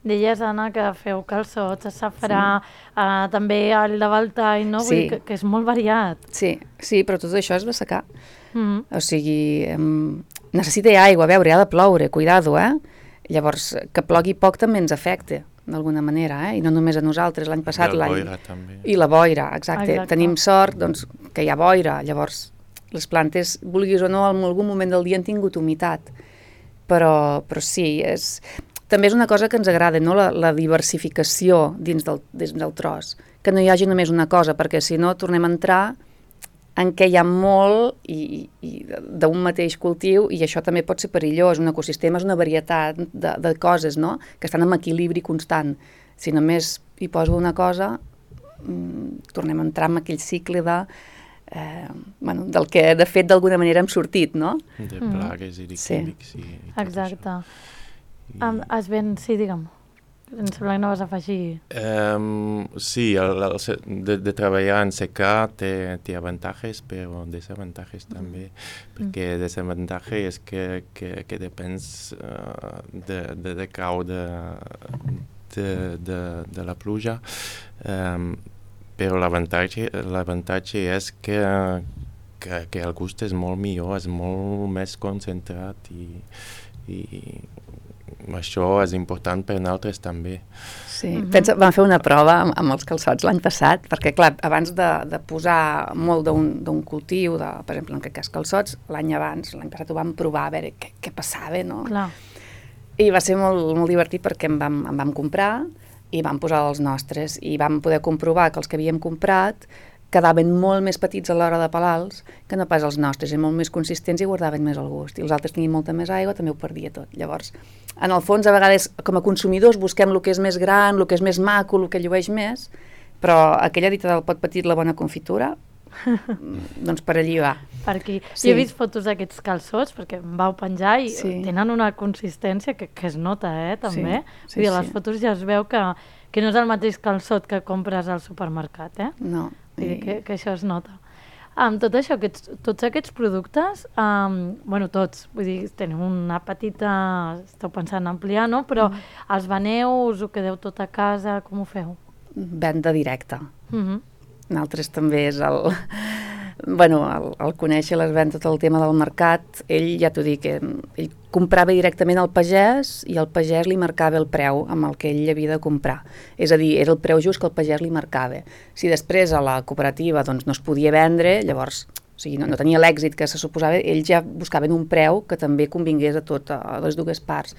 Deies, Anna, que feu calçots, safrà, sí. uh, també el de Baltall, no? Sí. Vull dir que, que és molt variat. Sí, sí, però tot això és de secar. Mm-hmm. O sigui, um, necessita aigua, a veure, ha de ploure, cuidado, eh? Llavors, que plogui poc també ens afecta, d'alguna manera, eh? I no només a nosaltres, l'any passat... I la boira, també. I la boira, exacte. exacte. Tenim sort, doncs, que hi ha boira, llavors les plantes, vulguis o no, en algun moment del dia han tingut humitat. Però, però sí, és... També és una cosa que ens agrada, no? la, la diversificació dins del, dins del tros, que no hi hagi només una cosa, perquè si no tornem a entrar en què hi ha molt i, i d'un mateix cultiu, i això també pot ser perillós. Un ecosistema és una varietat de, de coses, no? Que estan en equilibri constant. Si només hi poso una cosa, mmm, tornem a entrar en aquell cicle de, eh, bueno, del que de fet d'alguna manera hem sortit, no? De plagues i de químics. Sí. I, i exacte. Um, Esben, sí, digue'm. Em sembla que no vas afegir... Um, sí, el, el, de, de treballar en secà té, té avantatges, però desavantatges mm. també, perquè mm. desavantatge és que, que, que depens uh, de, de, de cau de, de, de, de la pluja, um, però l'avantatge l'avantatge és que, que, que el gust és molt millor, és molt més concentrat i... i això és important per nosaltres també. Sí, uh-huh. Pensa, vam fer una prova amb, amb els calçots l'any passat, perquè clar, abans de, de posar molt d'un cultiu, de, per exemple, en aquest cas calçots, l'any abans, l'any passat ho vam provar a veure què, què passava, no? Clar. I va ser molt, molt divertit perquè en vam, en vam comprar i vam posar els nostres i vam poder comprovar que els que havíem comprat quedaven molt més petits a l'hora de pelar-los que no pas els nostres, i molt més consistents i guardaven més el gust. I els altres tenien molta més aigua, també ho perdia tot. Llavors, en el fons, a vegades, com a consumidors, busquem el que és més gran, el que és més maco, el que llueix més, però aquella dita del pot petit la bona confitura, doncs per allí va. Per aquí. Sí. Jo he vist fotos d'aquests calçots, perquè em vau penjar i sí. tenen una consistència que, que es nota, eh, també. Sí, sí, Vull dir, a les sí. fotos ja es veu que, que no és el mateix calçot que compres al supermercat, eh? No. Vull dir que, que això es nota. Amb tot això, aquests, tots aquests productes, um, bueno, tots, vull dir, teniu una petita, esteu pensant en ampliar, no? Però mm. els veneu, us ho quedeu tot a casa, com ho feu? Venda directa. Mm-hmm. Nosaltres també és el... Bueno, el, el conèixer l'Esben tot el tema del mercat, ell, ja t'ho dic, ell comprava directament al pagès i el pagès li marcava el preu amb el que ell havia de comprar. És a dir, era el preu just que el pagès li marcava. Si després a la cooperativa doncs, no es podia vendre, llavors o sigui, no, no tenia l'èxit que se suposava, ells ja buscaven un preu que també convingués a tot, a les dues parts.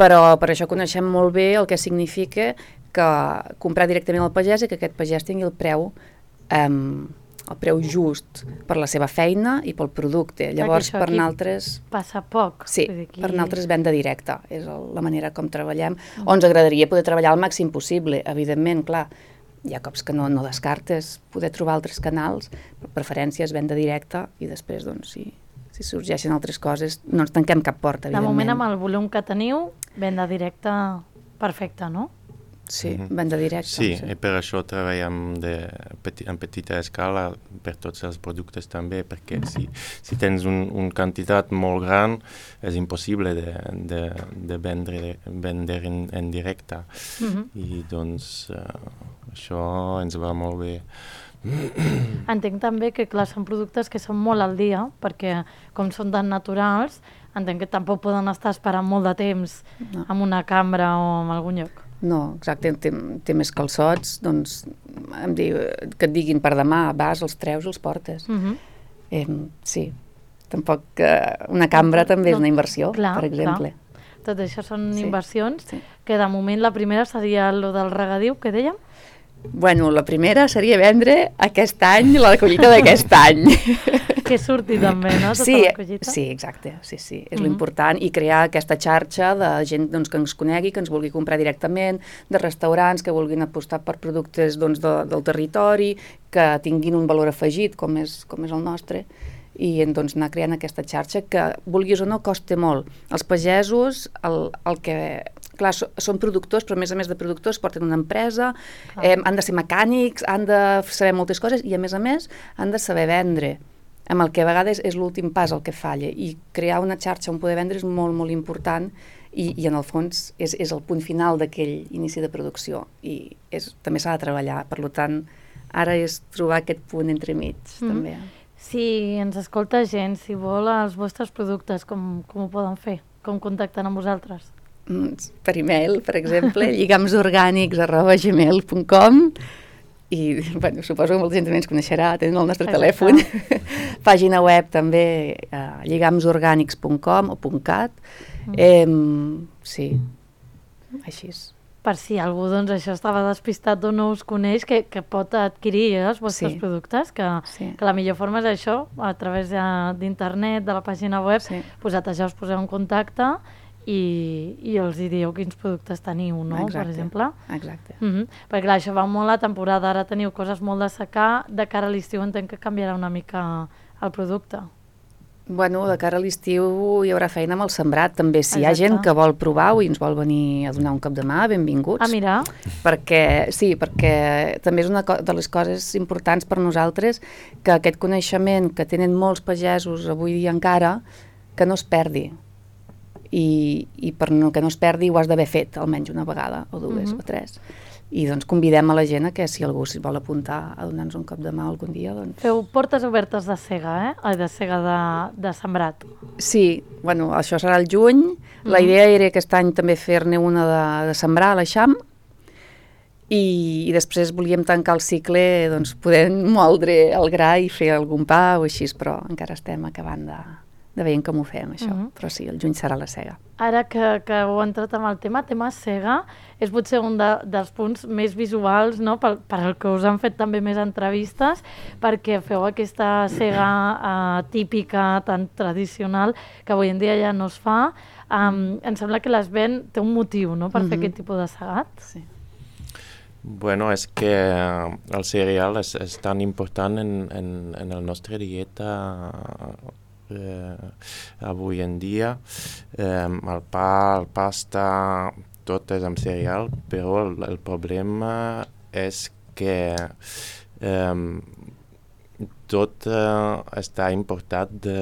Però per això coneixem molt bé el que significa que comprar directament al pagès i que aquest pagès tingui el preu eh, el preu just per la seva feina i pel producte. Llavors, per nosaltres... Passa poc. Sí, aquí... per nosaltres venda directa. És la manera com treballem. Mm. O ens agradaria poder treballar al màxim possible. Evidentment, clar, hi ha cops que no, no descartes poder trobar altres canals, però preferència és venda directa i després, doncs, si, si sorgeixen altres coses, no ens tanquem cap porta, evidentment. De moment, amb el volum que teniu, venda directa perfecta, no? Sí, mm-hmm. venda directa. Sí, sí, i per això treballem de, peti, en petita escala per tots els productes també, perquè si, si tens un, un quantitat molt gran és impossible de, de, de vendre, vendre en, en directe. Mm-hmm. I doncs uh, això ens va molt bé. Entenc també que, clar, són productes que són molt al dia, perquè com són tan naturals, entenc que tampoc poden estar esperant molt de temps no. en una cambra o en algun lloc. No, exacte, té, té més calçots, doncs em diu, que et diguin per demà, vas, els treus, els portes. Uh-huh. eh, sí, tampoc eh, una cambra també no, és una inversió, clar, per exemple. Clar. Tot això són sí. inversions, sí. que de moment la primera seria lo del regadiu, que dèiem? Bueno, la primera seria vendre aquest any la collita d'aquest any. Que surti també, no? Tota sí, la collita. Sí, exacte, sí, sí, és mm-hmm. l'important, i crear aquesta xarxa de gent doncs, que ens conegui, que ens vulgui comprar directament, de restaurants que vulguin apostar per productes doncs, de, del territori, que tinguin un valor afegit, com és, com és el nostre, i doncs, anar creant aquesta xarxa que, vulguis o no, costa molt. Els pagesos, el, el que... Clar, so, són productors, però a més a més de productors porten una empresa, ah. eh, han de ser mecànics, han de saber moltes coses i a més a més han de saber vendre, amb el que a vegades és l'últim pas el que falla, i crear una xarxa on poder vendre és molt, molt important i, i en el fons és, és el punt final d'aquell inici de producció i és, també s'ha de treballar, per tant ara és trobar aquest punt entremig mm. també. Si ens escolta gent, si vol els vostres productes, com, com ho poden fer? Com contacten amb vosaltres? Per e-mail, per exemple, lligamsorgànics arroba gmail punt com i bueno, suposo que molta gent també ens coneixerà, tenen el nostre Exacte. telèfon. Pàgina web també, uh, lligamsorgànics punt com o .cat. Mm. Eh, sí, així és. Per si algú doncs, això estava despistat o no us coneix, que, que pot adquirir eh, els vostres sí. productes, que, sí. que la millor forma és això, a través d'internet, de la pàgina web, sí. posat-ja us poseu en contacte i, i els hi dieu quins productes teniu, no? Exacte, per exemple. Exacte. Mm-hmm. Perquè clar, això va molt a temporada, ara teniu coses molt de secar, de cara a l'estiu entenc que canviarà una mica el producte. Bueno, de cara a l'estiu hi haurà feina amb el sembrat, també. Si Exacte. Hi ha gent que vol provar-ho i ens vol venir a donar un cop de mà, benvinguts. Ah, mira. Perquè, sí, perquè també és una de les coses importants per nosaltres que aquest coneixement que tenen molts pagesos avui dia encara, que no es perdi. I, i per no, que no es perdi ho has d'haver fet almenys una vegada o dues uh-huh. o tres i doncs convidem a la gent a que si algú s'hi vol apuntar a donar-nos un cop de mà algun dia doncs... Feu portes obertes de cega, eh? Ai, de cega de, de sembrat. Sí, bueno, això serà el juny, uh-huh. la idea era aquest any també fer-ne una de, de sembrar a l'Eixam i, i després volíem tancar el cicle doncs podent moldre el gra i fer algun pa o així, però encara estem acabant de... de veient com ho fem, això. Uh-huh. Però sí, el juny serà la cega. Ara que, que heu entrat amb el tema, tema cega, és potser un de, dels punts més visuals, no?, per, per el que us han fet també més entrevistes, perquè feu aquesta cega uh, típica, tan tradicional, que avui en dia ja no es fa. Um, em sembla que l'Esvent té un motiu, no?, per uh-huh. fer aquest tipus de segat. Sí. Bueno, és que el cereal és, és tan important en, en, en la nostra dieta Eh, avui en dia. Eh, el pa, el pasta, tot és amb cereal, però el, el problema és que eh, tot eh, està importat de,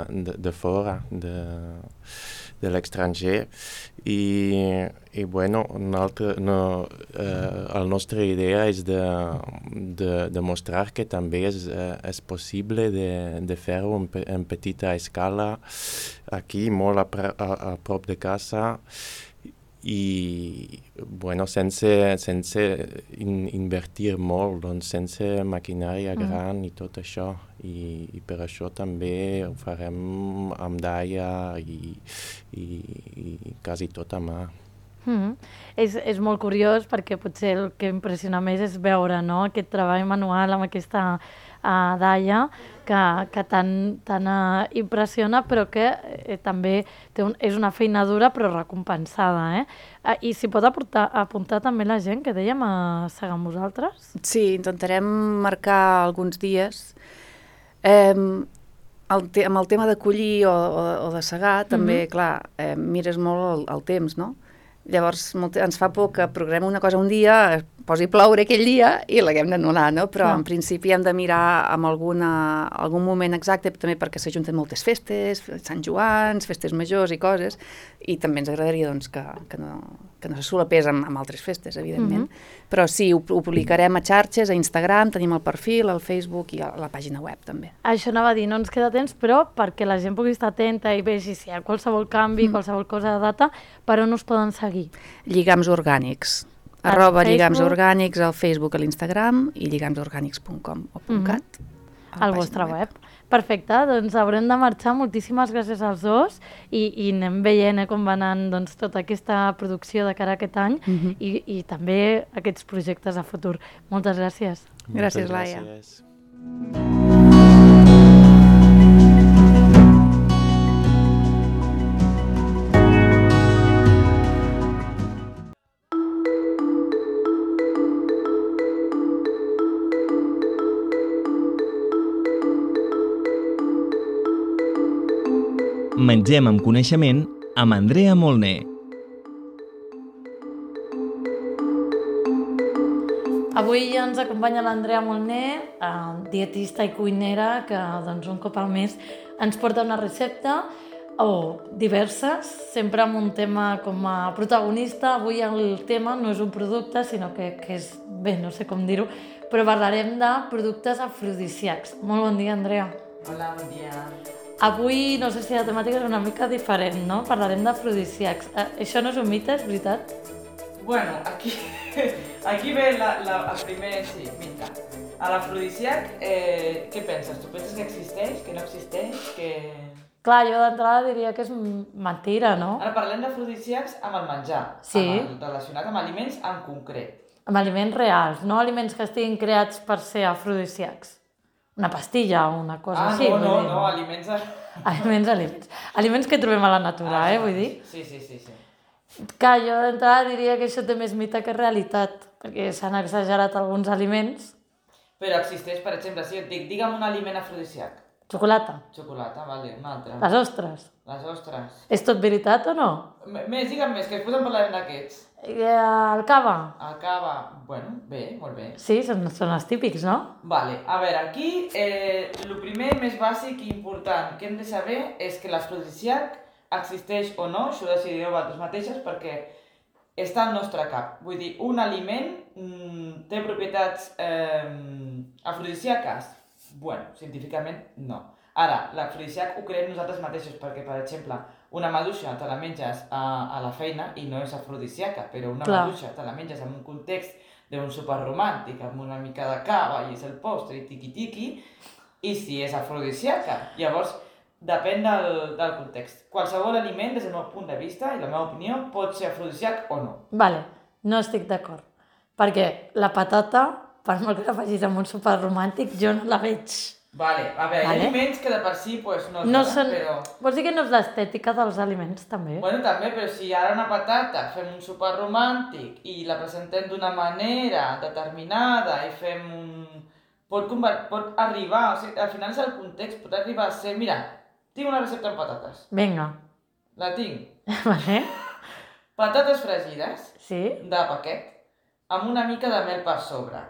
de, de fora, de, de l'estranger, i, i bueno, altre, no, eh, la nostra idea és de, de, de mostrar que també és, eh, és possible de, de fer-ho en, en petita escala, aquí, molt a, a, a prop de casa, i bueno, sense, sense in, invertir molt, doncs sense maquinària mm. gran i tot això, i, i per això també ho farem amb daia i, i, i quasi tot a mà. Mm-hmm. És, és molt curiós perquè potser el que impressiona més és veure, no?, aquest treball manual amb aquesta uh, daia que, que tant, tant uh, impressiona, però que eh, també té un, és una feina dura però recompensada. Eh? Uh, I s'hi pot apuntar, apuntar també la gent que dèiem a segar amb vosaltres? Sí, intentarem marcar alguns dies. Eh, el te amb el tema de collir o, o, o de segar, també, mm-hmm. clar, eh, mires molt el, el temps, no?, Llavors ens fa por que programem una cosa un dia, posi ploure aquell dia i l'haguem d'anul·lar, no? Però en principi hem de mirar amb alguna, algun moment exacte, també perquè s'ajunten moltes festes, Sant Joans, festes majors i coses, i també ens agradaria doncs, que, que, no, que no se solapés amb, amb altres festes, evidentment. Mm-hmm. Però sí, ho, ho publicarem a xarxes, a Instagram, tenim el perfil, al Facebook i a la pàgina web també. Això anava a dir, no ens queda temps, però perquè la gent pugui estar atenta i vegi si hi ha qualsevol canvi, mm. qualsevol cosa de data, per on us poden seguir? Lligams orgànics, al arroba Facebook. lligams orgànics al Facebook, a l'Instagram i lligams orgànics punt com o .cat. Mm-hmm. Al vostre web. web. Perfecte, doncs haurem de marxar. Moltíssimes gràcies als dos i, i anem veient eh, com va anant doncs, tota aquesta producció de cara a aquest any mm-hmm. i, i també aquests projectes a futur. Moltes gràcies. Gràcies, Laia. Gràcies. Mengem amb coneixement amb Andrea Molné. Avui ens acompanya l'Andrea Molné, eh, dietista i cuinera, que doncs, un cop al mes ens porta una recepta o diverses, sempre amb un tema com a protagonista. Avui el tema no és un producte, sinó que, que és, bé, no sé com dir-ho, però parlarem de productes afrodisíacs. Molt bon dia, Andrea. Hola, bon dia. Avui, no sé si la temàtica és una mica diferent, no? Parlarem d'afrodisíacs. Eh, això no és un mite, és veritat? Bueno, aquí, aquí ve la, la, el primer, sí, mite. A l'afrodisíac, eh, què penses? Tu penses que existeix, que no existeix, que... Clar, jo d'entrada diria que és mentira, no? Ara parlem d'afrodisíacs amb el menjar, sí. amb el, relacionat amb aliments en concret. Amb aliments reals, no aliments que estiguin creats per ser afrodisíacs. Una pastilla o una cosa ah, així. Ah, no, no, no, aliments... A... Aliments, aliments. Aliments que trobem a la natura, ah, eh, vull dir? Sí, sí, sí, sí. Que jo d'entrada diria que això té més mite que realitat, perquè s'han exagerat alguns aliments. Però existeix, per exemple, si et dic, digue'm un aliment afrodisíac. Xocolata. Xocolata, vale, un altre. Les ostres. Les ostres. És tot veritat o no? M més, digue'm més, que després en parlarem d'aquests. El cava. El cava, bueno, bé, molt bé. Sí, són, són els típics, no? Vale, a veure, aquí eh, el primer més bàsic i important que hem de saber és que l'afrodisíac existeix o no, això ho decidireu vosaltres mateixes perquè està al nostre cap. Vull dir, un aliment mm, té propietats eh, afrodisíaques? Bueno, científicament no. Ara, l'afrodisíac ho creem nosaltres mateixos perquè, per exemple, una maduixa te la menges a, a la feina i no és afrodisíaca, però una Clar. maduixa te la menges en un context d'un sopar romàntic, amb una mica de cava i és el postre i tiqui-tiqui, i si és afrodisíaca. Llavors, depèn del, del context. Qualsevol aliment, des del meu punt de vista i la meva opinió, pot ser afrodisíac o no. Vale, no estic d'acord. Perquè la patata, per molt que la facis amb un sopar romàntic, jo no la veig. Vale, a veure, vale. Hi ha aliments que de per si pues, no es no donen, són... però... Vols dir que no és l'estètica dels aliments, també? Bueno, també, però si ara una patata fem un sopar romàntic i la presentem d'una manera determinada i fem un... Pot, convert... pot arribar, o sigui, al final és el context, pot arribar a ser... Mira, tinc una recepta amb patates. Vinga. La tinc. Vale. Patates fregides, sí. de paquet, amb una mica de mel per sobre.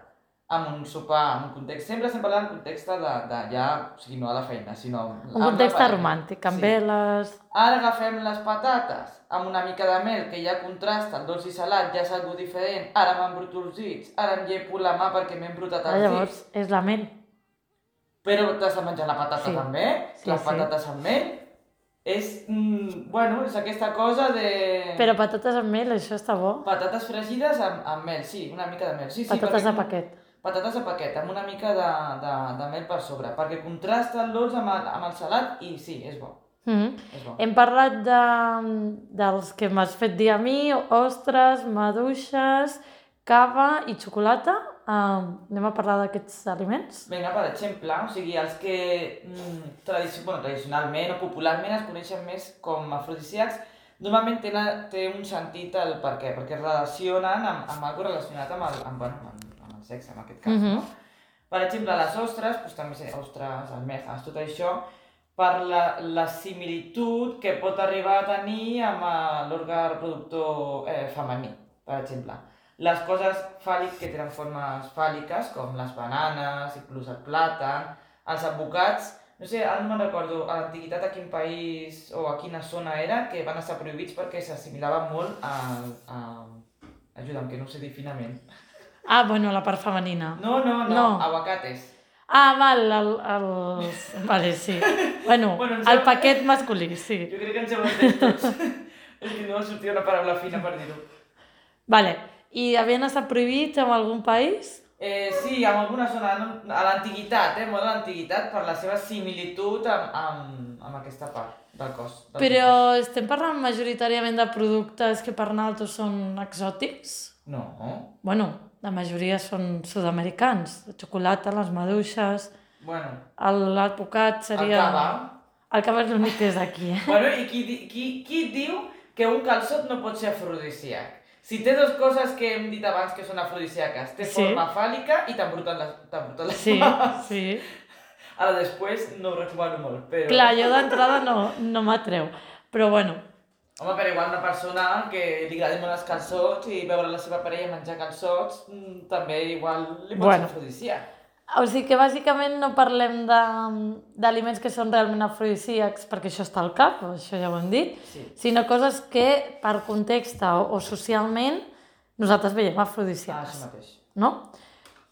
Amb un sopar, en un context, sempre estem parlant d'un context de, de ja, o sigui, no a la feina, sinó... Un context romàntic, amb sí. veles... Ara agafem les patates amb una mica de mel, que ja contrasta, el dolç i salat, ja és algo diferent, ara m'han brut els dits, ara em llepo la mà perquè m'he embrutat els dits... Llavors, és la mel. Però t'has de menjar la patata sí. també, sí, les patates sí. amb mel... És, mm, bueno, és aquesta cosa de... Però patates amb mel, això està bo. Patates fregides amb, amb mel, sí, una mica de mel. Sí, sí, patates perquè... de paquet. Patates de paquet, amb una mica de, de, de mel per sobre, perquè contrasta el dolç amb el, amb el salat i sí, és bo. Mm-hmm. és bo. Hem parlat de, dels que m'has fet dir a mi, ostres, maduixes, cava i xocolata. Uh, anem a parlar d'aquests aliments? Vinga, per exemple, o sigui, els que mm, tradici bueno, tradicionalment o popularment es coneixen més com afrodisíacs, normalment tenen, té un sentit el per què, perquè es relacionen amb, amb alguna cosa relacionat amb el, amb, bueno, amb, amb el sexe, en aquest cas, mm-hmm. no? Per exemple, les ostres, doncs també sé, ostres, almejas, tot això, per la, la similitud que pot arribar a tenir amb l'òrgan reproductor eh, femení, per exemple. Les coses fàl·liques que tenen formes fàl·liques, com les bananes, inclús el plàtan, els advocats, no sé, ara no me'n recordo, a l'antiguitat a quin país o a quina zona era, que van estar prohibits perquè s'assimilaven molt a... a... Ajuda'm, que no ho sé dir finament. Ah, bueno, la part femenina. No, no, no, no. aguacates. Ah, val, el, el... Vale, sí. Bueno, bueno el paquet masculí, sí. Jo crec que ens hem entès tots. És que no va sortir una paraula fina per dir-ho. Vale, i havien estat prohibits en algun país? Eh, sí, en alguna zona, a l'antiguitat, eh, molt a l'antiguitat, per la seva similitud amb, amb, amb aquesta part del cos. Del Però cos. estem parlant majoritàriament de productes que per nosaltres són exòtics? No. Bueno, la majoria són sud-americans, la xocolata, les maduixes... Bueno. L'advocat seria... El cava. El cava és l'únic que és aquí, eh? Bueno, i qui, qui, qui diu que un calçot no pot ser afrodisíac? Si té dues coses que hem dit abans que són afrodisíaques, té sí. forma fàl·lica i t'embruten les, les sí, mans. Sí, Ara després no ho recomano molt, però... Clar, jo d'entrada no, no m'atreu, però bueno. Home, però igual una persona que li agradin molt els calçots i veure la seva parella menjar calçots, també igual li pot bueno. ser afrodisíac. O sigui que bàsicament no parlem d'aliments que són realment afrodisíacs, perquè això està al cap, això ja ho hem dit, sí. sinó coses que per context o, o socialment nosaltres veiem afrodisíacs. Ah, això mateix. No?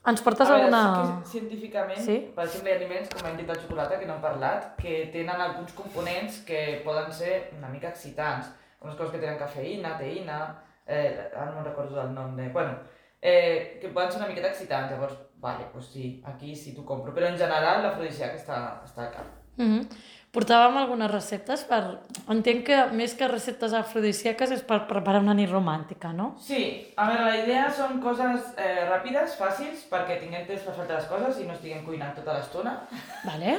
Ens portes a veure, alguna... Sí científicament, sí? per exemple, hi ha aliments, com hem dit la xocolata, que no hem parlat, que tenen alguns components que poden ser una mica excitants, com les coses que tenen cafeïna, teïna, eh, ara no me'n recordo del nom de... Bueno, eh, que poden ser una miqueta excitants, llavors, vale, doncs sí, aquí sí t'ho compro, però en general l'afrodisíac està, està al cap. Mm-hmm. Portàvem algunes receptes per... Entenc que més que receptes afrodisíaques és per preparar una nit romàntica, no? Sí, a veure, la idea són coses eh, ràpides, fàcils, perquè tinguem temps per fer altres coses i no estiguem cuinant tota l'estona. Vale.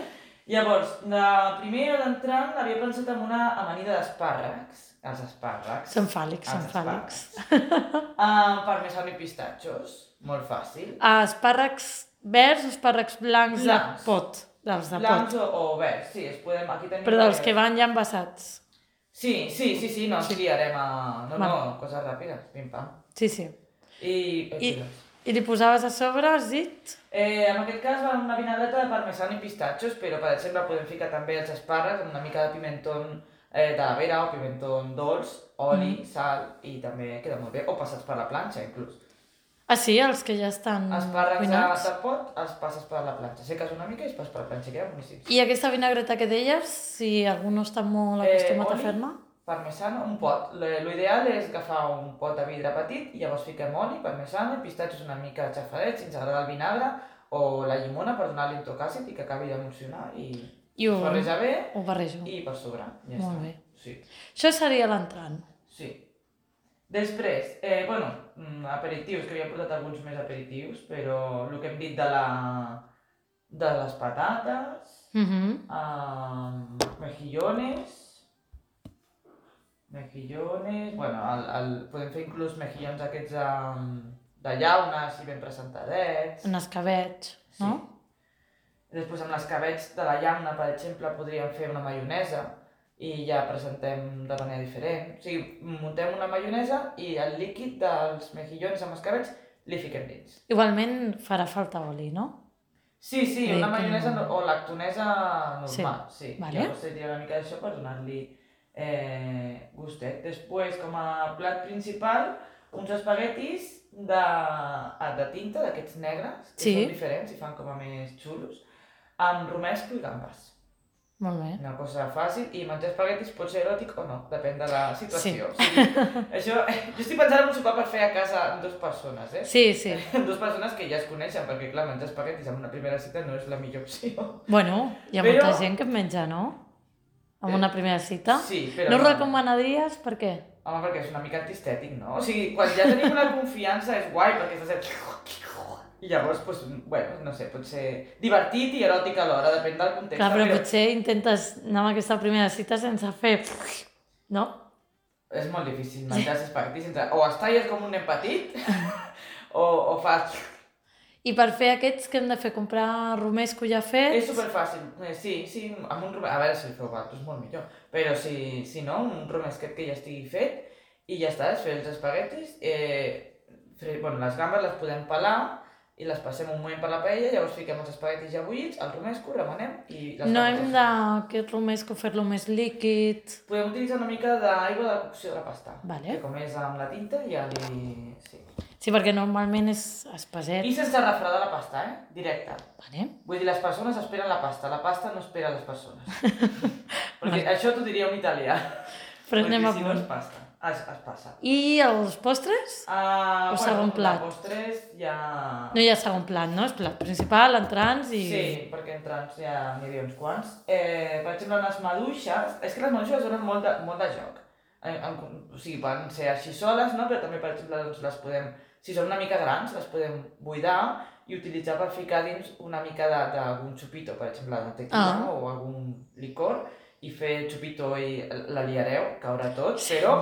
Llavors, la primera d'entrant havia pensat en una amanida d'espàrrecs. Els espàrrecs. Són fàl·lics, són fàl·lics. uh, parmesano i pistatxos, molt fàcil. Uh, espàrrecs verds, espàrrecs blancs, blancs. de pot. Dels de blancs pot. o, o verds, sí, es podem... Aquí tenim però dels que van ja envasats. Sí, sí, sí, sí, no, sí. sí harem a... No, bueno. no, coses ràpides, pim-pam. Sí, sí. I... I, I li posaves a sobre, has dit? Eh, en aquest cas va una vinagreta de parmesano i pistatxos, però per exemple podem ficar també els espàrrecs amb una mica de pimentón eh, de la vera o pimentón dolç, oli, mm. sal, i també queda molt bé, o passats per la planxa inclús. Ah sí, els que ja estan espàrrecs cuinats? de pot, els passes per la planxa. Seques una mica i es passes per la planxa, queda boníssim. I aquesta vinagreta que deies, si algú no està molt acostumat eh, a fer-ne? Parmesano, un pot. L'ideal és agafar un pot de vidre petit i llavors fiquem oli, parmesano, pistatxos una mica xafadets, si ens agrada el vinagre, o la llimona per donar-li un toc àcid i que acabi d'emulsionar i, I ho barreja bé ho barrejo. I per sobre. Ja molt està. Bé. Sí. Això seria l'entrant. Sí. Després, eh, bueno, aperitius, que havia portat alguns més aperitius, però el que hem dit de, la, de les patates, mm-hmm. uh, mejillones, mejillones, bueno, el, el, podem fer inclús mejillons aquests um, de llaunes i ben presentadets. En escabets, no? Sí. Després amb l'escabets de la llauna, per exemple, podríem fer una maionesa, i ja presentem de manera diferent. O sigui, muntem una maionesa i el líquid dels mejillones amb escabets li fiquem dins. Igualment farà falta oli, no? Sí, sí, Bé, una maionesa no... o lactonesa normal, sí. sí. Vale. Llavors seria una mica d'això per donar-li eh, gustet. Després, com a plat principal, uns espaguetis de, de tinta, d'aquests negres, que sí. són diferents i fan com a més xulos, amb romesco i gambes. Molt bé. Una cosa fàcil, i menjar espaguetis pot ser eròtic o no, depèn de la situació. Sí. O sigui, això, jo estic pensant en un sopar per fer a casa amb dues persones, eh? Sí, sí. Amb dues persones que ja es coneixen, perquè clar, menjar espaguetis en una primera cita no és la millor opció. Bueno, hi ha però... molta gent que en menja, no? En una primera cita. Sí, però... No ho recomanaries? Per què? Home, perquè és una mica antistètic, no? O sigui, quan ja tenim una confiança és guai, perquè estàs... I llavors, doncs, bueno, no sé, pot ser divertit i eròtic alhora, depèn del context. Clar, però, però potser intentes anar amb aquesta primera cita sense fer... No? És molt difícil menjar espaguetis sense... O es talles com un nen petit, o, o fas... I per fer aquests, què hem de fer? Comprar romesco ja fet? És superfàcil, eh, sí, sí, amb un romesco, a veure si el feu vosaltres, molt millor, però si, si no, un romesquet que ja estigui fet i ja està, és fer els espaguetis, eh, fre... bueno, les gambes les podem pelar i les passem un moment per la paella, llavors fiquem els espaguetis ja bullits, el romesco, remenem i... Les no hem d'aquest romesco fer-lo més líquid? Podem utilitzar una mica d'aigua de cocció de la pasta, vale. Que com és amb la tinta ja li... Sí. Sí, perquè normalment és espaset. I sense refredar la pasta, eh? Directe. Vale. Vull dir, les persones esperen la pasta, la pasta no espera les persones. Perquè vale. Això t'ho diria un italià. Però anem a si punt. no es pasta, es, es passa. I els postres? Uh, o bueno, segon plat? Els postres ja... No hi ha segon plat, no? És plat principal, entrants i... Sí, perquè entrants ja n'hi havia uns quants. Eh, per exemple, les maduixes... És que les maduixes donen molt de, molt de joc. En, en, o sigui, poden ser així soles, no? Però també, per exemple, doncs, les podem... Si són una mica grans, les podem buidar i utilitzar per ficar dins una mica d'algun xupito, per exemple, de tequila ah. o algun licor, i fer xupito i la liareu, caurà tot, però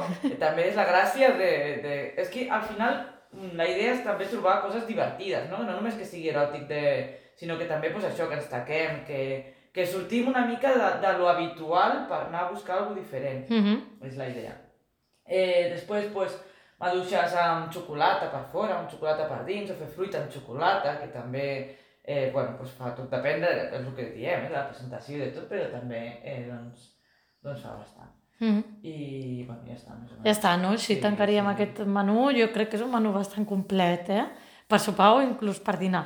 també és la gràcia de, de... És que al final la idea és també trobar coses divertides, no? No només que sigui eròtic, de... sinó que també pues, això, que ens taquem, que, que sortim una mica de, de lo habitual per anar a buscar alguna cosa diferent. Mm-hmm. És la idea. Eh, després, pues, maduixes amb xocolata per fora, amb xocolata per dins, o fer fruita amb xocolata, que també, eh, bueno, pues fa tot, depèn del de, que diem, eh, de la presentació i de tot, però també, eh, doncs, doncs fa bastant. Mm-hmm. I, bueno, ja està. Més o menys. Ja està, no? Així sí, tancaríem sí. Aquest menú. Jo crec que és un menú bastant complet, eh? Per sopar o inclús per dinar.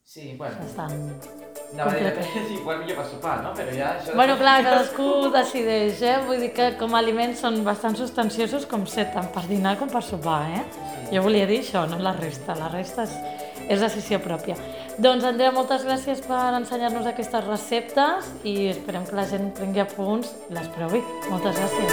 Sí, bueno. Bastant... No, va dir que sí, igual millor per sopar, no? Però ja això... Bueno, clar, cadascú decideix, eh? Vull dir que com a aliments són bastant substanciosos com ser tant per dinar com per sopar, eh? Sí. Jo volia dir això, no la resta. La resta és, és decisió pròpia. Doncs, Andrea, moltes gràcies per ensenyar-nos aquestes receptes i esperem que la gent prengui apunts i les provi. Moltes gràcies.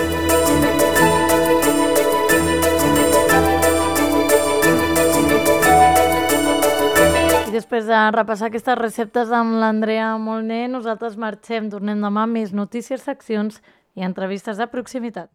I després de repassar aquestes receptes amb l'Andrea Molné, nosaltres marxem, tornem demà amb més notícies, seccions i entrevistes de proximitat.